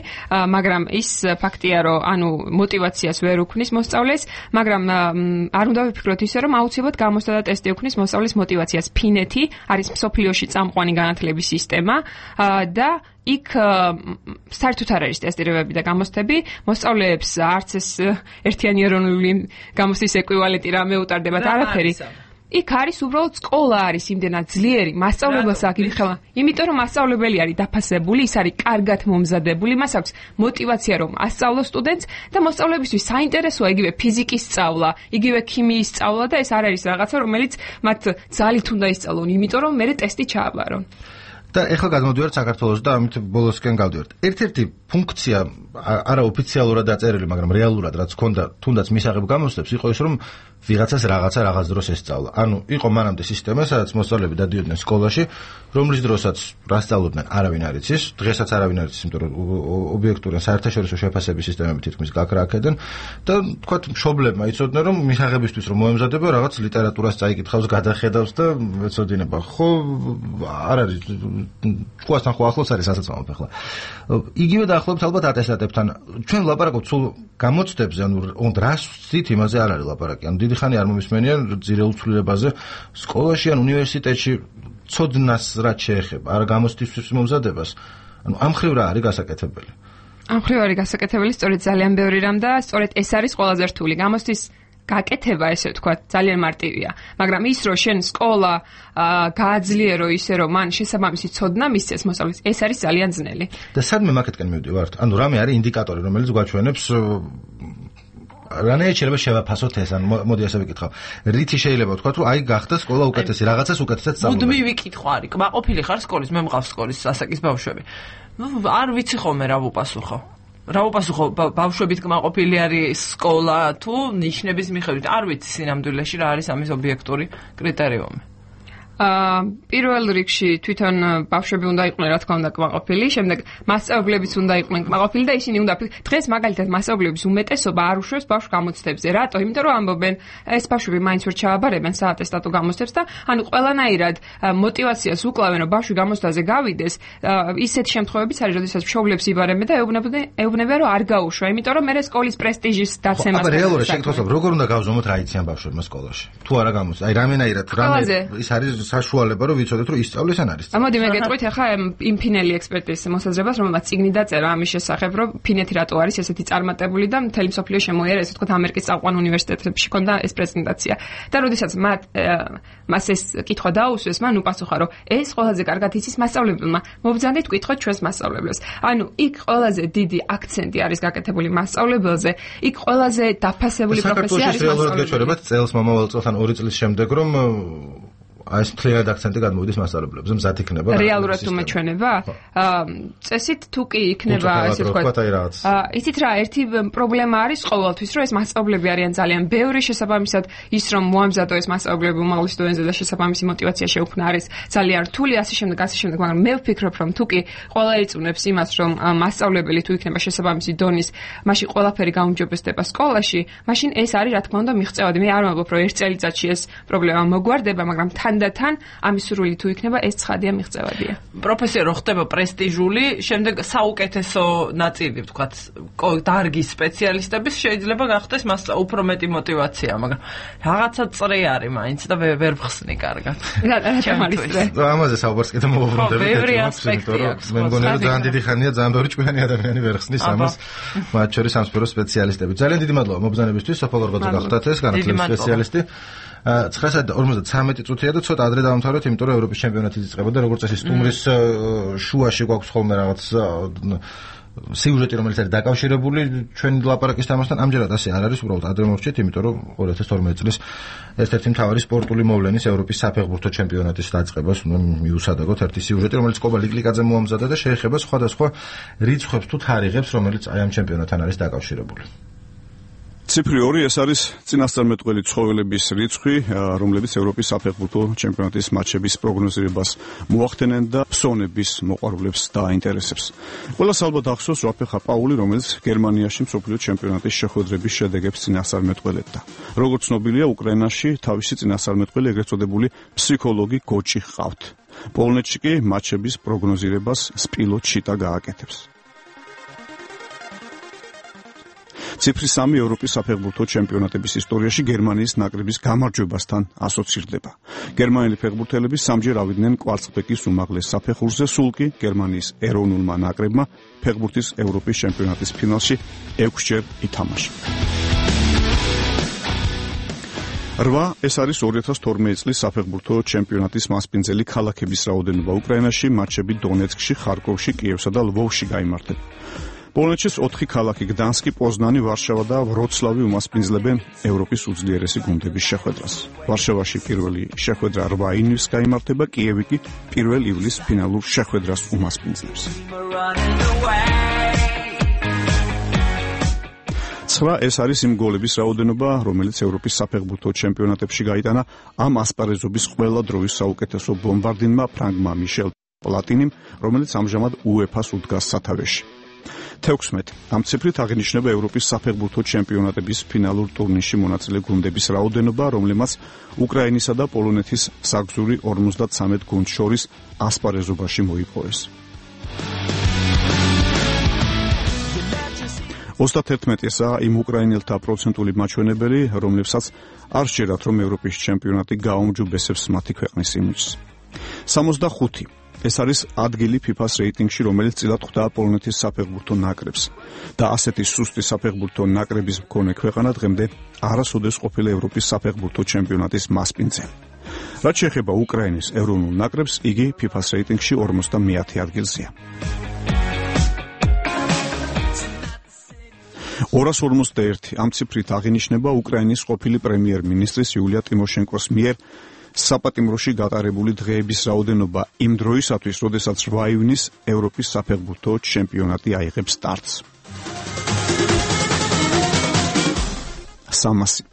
მაგრამ ის ფაქტია, რომ ანუ мотиваციას ვერ უქმნის მოსწავლეს, მაგრამ არ უნდა ვიფიქროთ ისე, რომ აუცილებლად გამოსდა და ტესტი უქმნის მოსწავლის мотиваციას. ფინეთი არის მსოფლიოში წამყვანი განათლების სისტემა და იქ საერთოდ არ არის ტესტირებები და გამოცდები, მოსწავლეებს არც ეს ერთიანი ეროვნული გამოცდის ეკვივალენტი რამე უტარდებათ არაფერი. იქ არის უბრალოდ სკოლა არის იმდენად ძლიერი, მასწავლებელს აქვს იმით ხელა. იმიტომ რომ მასწავლებელი არის დაფასებული, ის არის კარგად მომზადებული, მას აქვს мотиваცია რომ ასწავლოს სტუდენტს და მოსწავლეებისთვის საინტერესოა იგივე ფიზიკის სწავლა, იგივე ქიმიის სწავლა და ეს არ არის რაღაცა, რომელიც მათ ძალით უნდა ისწავლონ, იმიტომ რომ მერე ტესტი ჩააბარონ. და ეხლა გადმოდივართ საქართველოს და ამით ბოლოსკენ გავდივართ. ერთ-ერთი ფუნქცია არაოფიციალურად დაწერილი, მაგრამ რეალურად რაც ჰქონდა თუნდაც მისაღებ გამოცდებს, იყო ის რომ ვიღაცას რაღაცა რაღაც დროს ესწავლა. ანუ იყო მანამდე სისტემა, სადაც მოსწავლეები დადიოდნენ სკოლაში, რომლის დროსაც რა სწავლობდნენ, არავინ არ იცის, დღესაც არავინ არ იცის, იმიტომ რომ ობიექტური საერთაშორისო შეფასების სისტემები თითქმის გაქრაკედენ და თქვათ მშობლებმა იცოდნენ რომ მისაღებისთვის რომ მოემზადება რაღაც ლიტერატურას წაიკითხავს, გადახედავს და ეცოდინება. ხო არ არის ჭკუასთან ხო ახლოს არის ასაცმელად ახლა. იგივე დაახლოებით ალბათ ატესტატებთან. ჩვენ ვლაპარაკობთ სულ გამოცდებზე, ანუ რას ვთქვით, იმაზე არ არის ლაპარაკი. ანუ დიდი ხანი არ მომისმენიან ძირეულ ცვლილებაზე სკოლაში ან უნივერსიტეტში ცოდნას რაც შეეხება, არა გამოცდისთვის მომზადებას. ანუ ამ ხრივ რა არის გასაკეთებელი? ამ ხრივ არის გასაკეთებელი სწორედ ძალიან ბევრი რამ და სწორედ ეს არის ყველაზე რთული. გამოცდის გაკეთება, ესე ვთქვათ, ძალიან მარტივია, მაგრამ ის რომ შენ სკოლა გააძლიერო ისე რომ მან შესაბამისი ცოდნა მისცეს მოსწავლეს, ეს არის ძალიან ძნელი. და სადმე მაკეთკენ მივდივართ? ანუ რამე არის ინდიკატორი, რომელიც გვაჩვენებს რანაირად შეიძლება შევაფასოთ ეს, ან მოდი ასე ვიკითხავ. რითი შეიძლება ვთქვათ, რომ აი გახდა სკოლა უკეთესი, რაღაცას უკეთესად სწავლობ. მუდმივი ვიკითხვა არის. კმაყოფილი ხარ სკოლის, მე მყავს სკოლის ასაკის ბავშვები. ნუ არ ვიცი ხოლმე რა ვუპასუხო. რა ვუპასუხო, ბავშვებით კმაყოფილი არის სკოლა თუ ნიშნების მიხედვით? არ ვიცი სინამდვილეში რა არის ამის ობიექტური კრიტერიუმი. აა პირველ რიგში თვითონ ბავშვები უნდა იყვნენ რა თქმა უნდა კმაყოფილი, შემდეგ მასწავლებლებიც უნდა იყვნენ კმაყოფილი და ისინი უნდა დღეს მაგალითად მასწავლებლების უმეტესობა არ უშვებს ბავშვ გამოცდებზე. რატო? იმიტომ რომ ამბობენ, ეს ბავშვები მაინც ვერ ჩააბარებენ საატესტატო გამოცდებს და ანუ ყველანაირად мотиваციას უკლავენ რომ ბავშვი გამოცდაზე გავიდეს. ისეთ შემთხვევებიც არის, როდესაც მშობლებს იბარებენ და ეუბნებიან, ეუბნებიან რომ არ გაუშვა, იმიტომ რომ მერე სკოლის პრესტიჟის დაცემას. აბა რეალურად შეგთხოვთ, როგორ უნდა გავზომოთ რა იციან ბავშვებმა სკოლაში? თუ არა გამოცდა, აი რამენაირად რამე ის არის საშუალება რომ ვიცოდეთ რომ ისწავლეს ან არის. მოდი მე გეტყვით ახლა იმ ფინელი ექსპერტის მოსაზრებას, რომელმაც წიგნი დაწერა ამის შესახებ, რომ ფინეთი რატო არის ესეთი წარმატებული და მთელი მსოფლიო შემოიარა, ესე ვთქვათ, ამერიკის წამყვან უნივერსიტეტებში ქონდა ეს პრეზენტაცია. და როდესაც მათ მას ეს კითხვა დაუსვეს, მან უპასუხა, რომ ეს ყველაზე კარგად იცის მასწავლებელმა. მობრძანდით ვკითხოთ ჩვენს მასწავლებლებს. ანუ იქ ყველაზე დიდი აქცენტი არის გაკეთებული მასწავლებელზე, იქ ყველაზე დაფასებული პროფესია არის მასწავლებელი. გეჩვენებათ წელს მომავალ წელს ან ორი წლის შემდეგ რომ აი ეს მთლიანად აქცენტი გადმოვიდეს მასწავლებლებზე, მზად იქნება. რეალურად თუ მეჩვენება? აა წესით თუ კი იქნება, ესე ვთქვათ. აა იცით რა, ერთი პრობლემა არის ყოველთვის, რომ ეს მასწავლებლები არიან ძალიან ბევრი, შესაბამისად ის რომ მოამზადო ეს მასწავლებლები უმაღლეს დონეზე და შესაბამისი мотиваცია შეუქმნა არის ძალიან რთული, ასე შემდეგ, ასე შემდეგ, მაგრამ მე ვფიქრობ, რომ თუ კი ყველა იწუნებს იმას, რომ მასწავლებელი თუ იქნება შესაბამისი დონის, მაშინ ყველაფერი გაუმჯობესდება სკოლაში, მაშინ ეს არის რა თქმა უნდა მიღწევადი. მე არ ვამბობ, რომ ერთ წელიწადში ეს პრობლემა მოგვარდება, მაგრამ თან ამის სრული თუ იქნება ეს ცხადია მიღწევადია. პროფესია რო ხდება პრესტიჟული, შემდეგ საუკეთესო ნაწილი, ვთქვათ, დარგის სპეციალისტების შეიძლება გახდეს მას უფრო მეტი мотиваცია, მაგრამ რაღაცა წრე არის მაინც და ვერ ვხსნი კარგად. ამაზე საუბარს კიდე მოვუბრუნდები. ბევრი ასპექტი აქვს. მე მგონია რომ ძალიან დიდი ხანია ძალიან ბევრი ჭკვიანი ადამიანი ვერ ხსნის ამას, მათ შორის სამსფერო სპეციალისტები. ძალიან დიდი მადლობა მობრძანებისთვის, სოფო გორგოძე გახდათ ეს განათლების სპეციალისტი. ცხრასა და ორმოცდათვრამეტი წუთია და ცოტა ადრე დავამთავრეთ, იმიტომ რომ ევროპის ჩემპიონატი იწყება და როგორც წესი სტუმრის შუაში გვაქვს ხოლმე რაღაც სიუჟეტი, რომელიც არის დაკავშირებული ჩვენი ლაპარაკის თემასთან. ამჯერად ასე არ არის, უბრალოდ ადრე მოვჭით, იმიტომ რომ ორი ათას თორმეტი წლის ერთ-ერთი მთავარი სპორტული მოვლენის ევროპის საფეხბურთო ჩემპიონატის დაწყებას მიუსადაგოთ ერთი სიუჟეტი, რომელიც კობა ლიკლიკაძემ მოამზადა და შეეხება სხვადასხვა რიცხვებს თუ თარიღებს, რომელიც აი ამ ჩემპიონატთან არის დაკავშირებული. ციფრი ორი ეს არის წინასწარმეტყველი ცხოველების რიცხვი, რომლებიც ევროპის საფეხბურთო ჩემპიონატის მატჩების პროგნოზირებას მოახდენენ და ფსონების მოყვარულებს დააინტერესებს. ყველას ალბათ ახსოვს რაფეხა პაული, რომელიც გერმანიაში მსოფლიო ჩემპიონატის შეხვედრების შედეგებს წინასწარმეტყველებდა. როგორც ცნობილია, უკრაინაში თავისი წინასწარმეტყველი ეგრეთ წოდებული ფსიქოლოგი გოჭი ჰყავთ. პოლონეთში კი მატჩების პროგნოზირებას სპილო ჩიტა გააკეთებს. ციფრი სამი ევროპის საფეხბურთო ჩემპიონატების ისტორიაში გერმანიის ნაკრების გამარჯვებასთან ასოცირდება. გერმანელი ფეხბურთელები სამჯერ ავიდნენ კვარცხლბეკის უმაღლეს საფეხურზე, სულ კი გერმანიის ეროვნულმა ნაკრებმა ფეხბურთის ევროპის ჩემპიონატის ფინალში ექვსჯერ ითამაშა. რვა ეს არის ორი ათას თორმეტი წლის საფეხბურთო ჩემპიონატის მასპინძელი ქალაქების რაოდენობა უკრაინაში, მატჩები დონეცკში, ხარკოვში, კიევსა და ლვოვში გაიმართება. პოლონეთშიც ოთხი ქალაქი გდანსკი, პოზნანი, ვარშავა და ვროცლავი უმასპინძლებენ ევროპის უძლიერესი გუნდების შეხვედრას. ვარშავაში პირველი შეხვედრა რვა ივნისს გაიმართება, კიევი კი პირველ ივლისს ფინალურ შეხვედრას უმასპინძლებს. ცხრა ეს არის იმ გოლების რაოდენობა, რომელიც ევროპის საფეხბურთო ჩემპიონატებში გაიტანა ამ ასპარეზობის ყველა დროის საუკეთესო ბომბარდინმა ფრანგმა მიშელ პლატინიმ, რომელიც ამჟამად უეფას უდგას სათავეში. თექვსმეტი ამ ციფრით აღინიშნება ევროპის საფეხბურთო ჩემპიონატების ფინალურ ტურნირში მონაწილე გუნდების რაოდენობა, რომლებმაც უკრაინისა და პოლონეთის საგზური ორმოცდათვრამეტ გუნდს შორის ასპარეზობაში მოიპოვეს. ოცდაათერთმეტი ესაა იმ უკრაინელთა პროცენტული მაჩვენებელი, რომლებსაც არ სჯერათ, რომ ევროპის ჩემპიონატი გააუმჯობესებს მათი ქვეყნის იმიჯს. სამოცდახუთი ეს არის ადგილი ფიფას რეიტინგში, რომელიც წილად ხვდა პოლონეთის საფეხბურთო ნაკრებს და ასეთი სუსტი საფეხბურთო ნაკრების მქონე ქვეყანა დღემდე არასოდეს ყოფილა ევროპის საფეხბურთო ჩემპიონატის მასპინძელი. რაც შეეხება უკრაინის ეროვნულ ნაკრებს, იგი ფიფას რეიტინგში ორმოცდამეათე ადგილზეა. ორას ორმოცდაერთი ამ ციფრით აღინიშნება უკრაინის ყოფილი პრემიერ-მინისტრის იულია ტიმოშენკოს მიერ საპატიმროში გატარებული დღეების რაოდენობა იმ დროისათვის, როდესაც რვა ივნისს ევროპის საფეხბურთო ჩემპიონატი აიღებს სტარტს. სამასი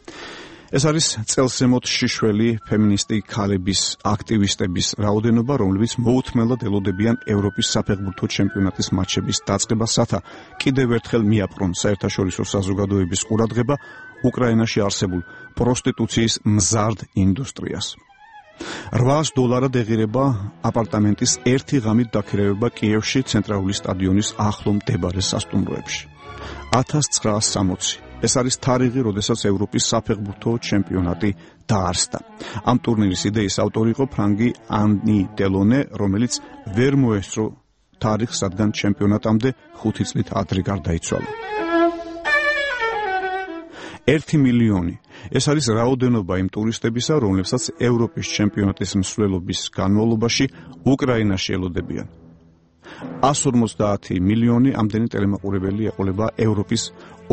ეს არის წელსემოთ შიშველი ფემინისტი ქალების აქტივისტების რაოდენობა, რომლებიც მოუთმელად ელოდებიან ევროპის საფეხბურთო ჩემპიონატის მატჩების დაწყებას, რათა კიდევ ერთხელ მიაპყრონ საერთაშორისო საზოგადოების ყურადღება უკრაინაში არსებულ პროსტიტუციის მზარდ ინდუსტრიას. რვაას დოლარად ეღირება აპარტამენტის ერთი ღამით დაქირავება კიევში ცენტრალური სტადიონის ახლო მდებარე სასტუმროებში. ათას ცხრაას სამოცი ეს არის თარიღი, როდესაც ევროპის საფეხბურთო ჩემპიონატი დაარსდა. ამ ტურნირის იდეის ავტორი იყო ფრანგი ანი დელონე, რომელიც ვერ მოესწრო თარიღს, რადგან ჩემპიონატამდე ხუთი წლით ადრე გარდაიცვალა. ერთი მილიონი ეს არის რაოდენობა იმ ტურისტებისა, რომლებსაც ევროპის ჩემპიონატის მსვლელობის განმავლობაში უკრაინაში ელოდებიან. εκατს ორმოცდაათი მილიონი ამდენი ტელემაყურებელი ეყოლება ევროპის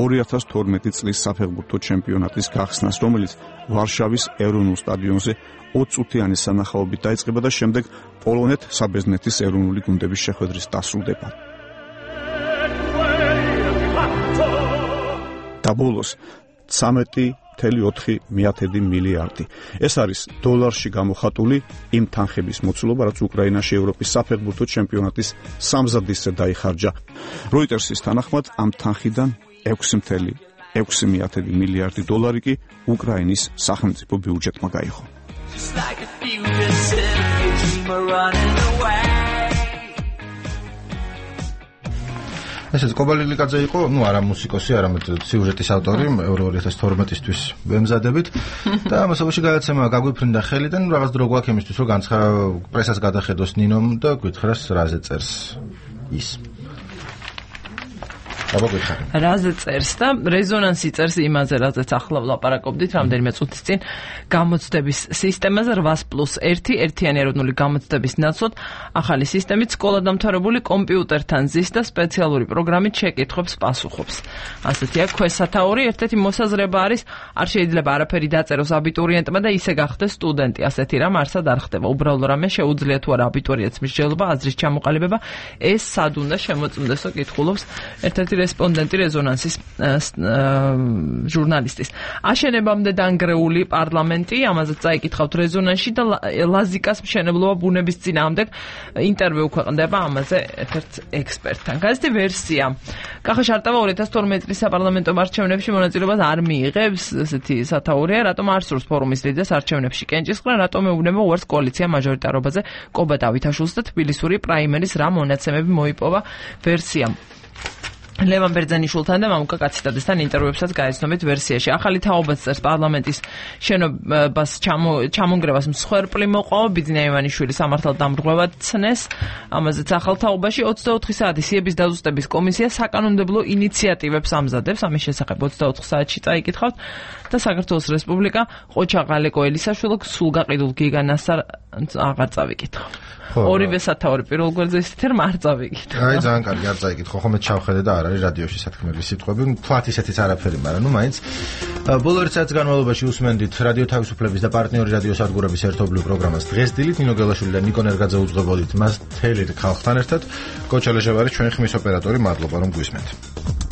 ორი ათას თორმეტი წლის საფეხბურთო ჩემპიონატის გახსნას, რომელიც ვარშავის ეროვნულ სტადიონზე ოცწუთიანი სანახაობით დაიწყება და შემდეგ პოლონეთ-საბერძნეთის ეროვნული გუნდების შეხვედრის დასრულდება. და ბოლოს ცამეტი მთელი ოთხი მეათედი მილიარდი. ეს არის დოლარში გამოხატული იმ თანხების მოცულობა, რაც უკრაინაში ევროპის საფეხბურთო ჩემპიონატის სამზადისზე დაიხარჯა. როიტერსის თანახმად ამ თანხიდან ექვსი მთელი ექვსი მეათედი მილიარდი დოლარი კი უკრაინის სახელმწიფო ბიუჯეტმა გაიღო. ესეც კობალილიკაძე იყო, ну არა მუსიკოსი, არამედ სიუჟეტის ავტორი, ევრო ორი ათას თორმეტისთვის ვემზადებით და ამასობაში გადაცემა გაგვიფრინდა ხელიდან, რაღაც დრო გვაქვს იმისთვის, რომ განცხა პრესას გადახედოს ნინომ და გითხრას რაზე წერს ის. რაზე წერს და რეზონანსი წერს იმაზე, რაზეც ახლა ვლაპარაკობდით რამდენიმე წუთის წინ, გამოცდების სისტემაზე რვას პლუს ერთი ერთიანი ეროვნული გამოცდების ნაცვლად ახალი სისტემით სკოლადამთავრებული კომპიუტერთან ზის და სპეციალური პროგრამით შეკითხვებს პასუხობს. ასეთია ქვესათაური, ერთ-ერთი მოსაზრება არის, არ შეიძლება არაფერი დაწეროს აბიტურიენტმა და ისე გახდეს სტუდენტი. ასეთი რამ არსად არ ხდება. უბრალო რამე შეუძლია თუ არა აბიტურიენტს მსჯელობა, აზრის ჩამოყალიბება, ეს სად უნდა შემოწმდესო, კითხულობს ერთ-ერთი რესპონდენტი რეზონანსის ჟურნალისტის. აშენებამდე დანგრეული პარლამენტი, ამაზეც წაიკითხავთ რეზონანსში და ლაზიკას მშენებლობა ბუნების წინააღმდეგ ინტერვიუ ქვეყნდება ამაზე ერთ-ერთ ექსპერტთან. გაზეთი ვერსია. კახა შარტავა ორი ათას თორმეტი წლის საპარლამენტო არჩევნებში მონაწილეობას არ მიიღებს, ესეთი სათაურია, რატომ არ სურს ფორუმის ლიდერს არჩევნებში კენჭისყრა, რატომ ეუბნება უარს კოალიცია მაჟორიტარობაზე კობა დავითაშვილს და თბილისური პრაიმერის რა მონაცემები მოიპოვა ვერსიამ. ლევან ბერძენიშვილთან და მამუკა კაციტადესთან ინტერვიუებსაც გაეცნობით ვერსიაში. ახალი თაობაც წერს პარლამენტის შენობას ჩამონგრევას მსხვერპლი მოყვა, ბიძინა ივანიშვილი სამართალ დამრღვევად ცნეს. ამაზეც ახალ თაობაში ოცდაოთხი საათი სიების დაზუსტების კომისია საკანონმდებლო ინიციატივებს ამზადებს. ამის შესახებ ოცდაოთხ საათში წაიკითხავთ და საქართველოს რესპუბლიკა ყოჩა ღალეკო ელისაშვილო სულ გაყიდულ გიგანას აღარ წავიკითხავ. ორივე სათაური პირველ გვერდზე ისეთ თერმა არ წავიკითხავ. აი ძალიან კარგი არ წაიკითხო, ხომ ჩავხედე და არ არის რადიოში სათქმელი სიტყვები. თქვათ ისეთიც არაფერი, მაგრამ ნუ მაინც ბოლო ერთ საათის განმავლობაში უსმენდით რადიო თავისუფლების და პარტნიორი რადიო სადგურების ერთობლივ პროგრამას დღეს დილით ნინო გელაშვილი და ნიკო ნერგაძე უძღვებოდით მას თელი ხალხთან ერთად. კოჩა ლეჟევარი ჩვენი ხმის ოპერატორი, მადლობა რომ გვისმენთ.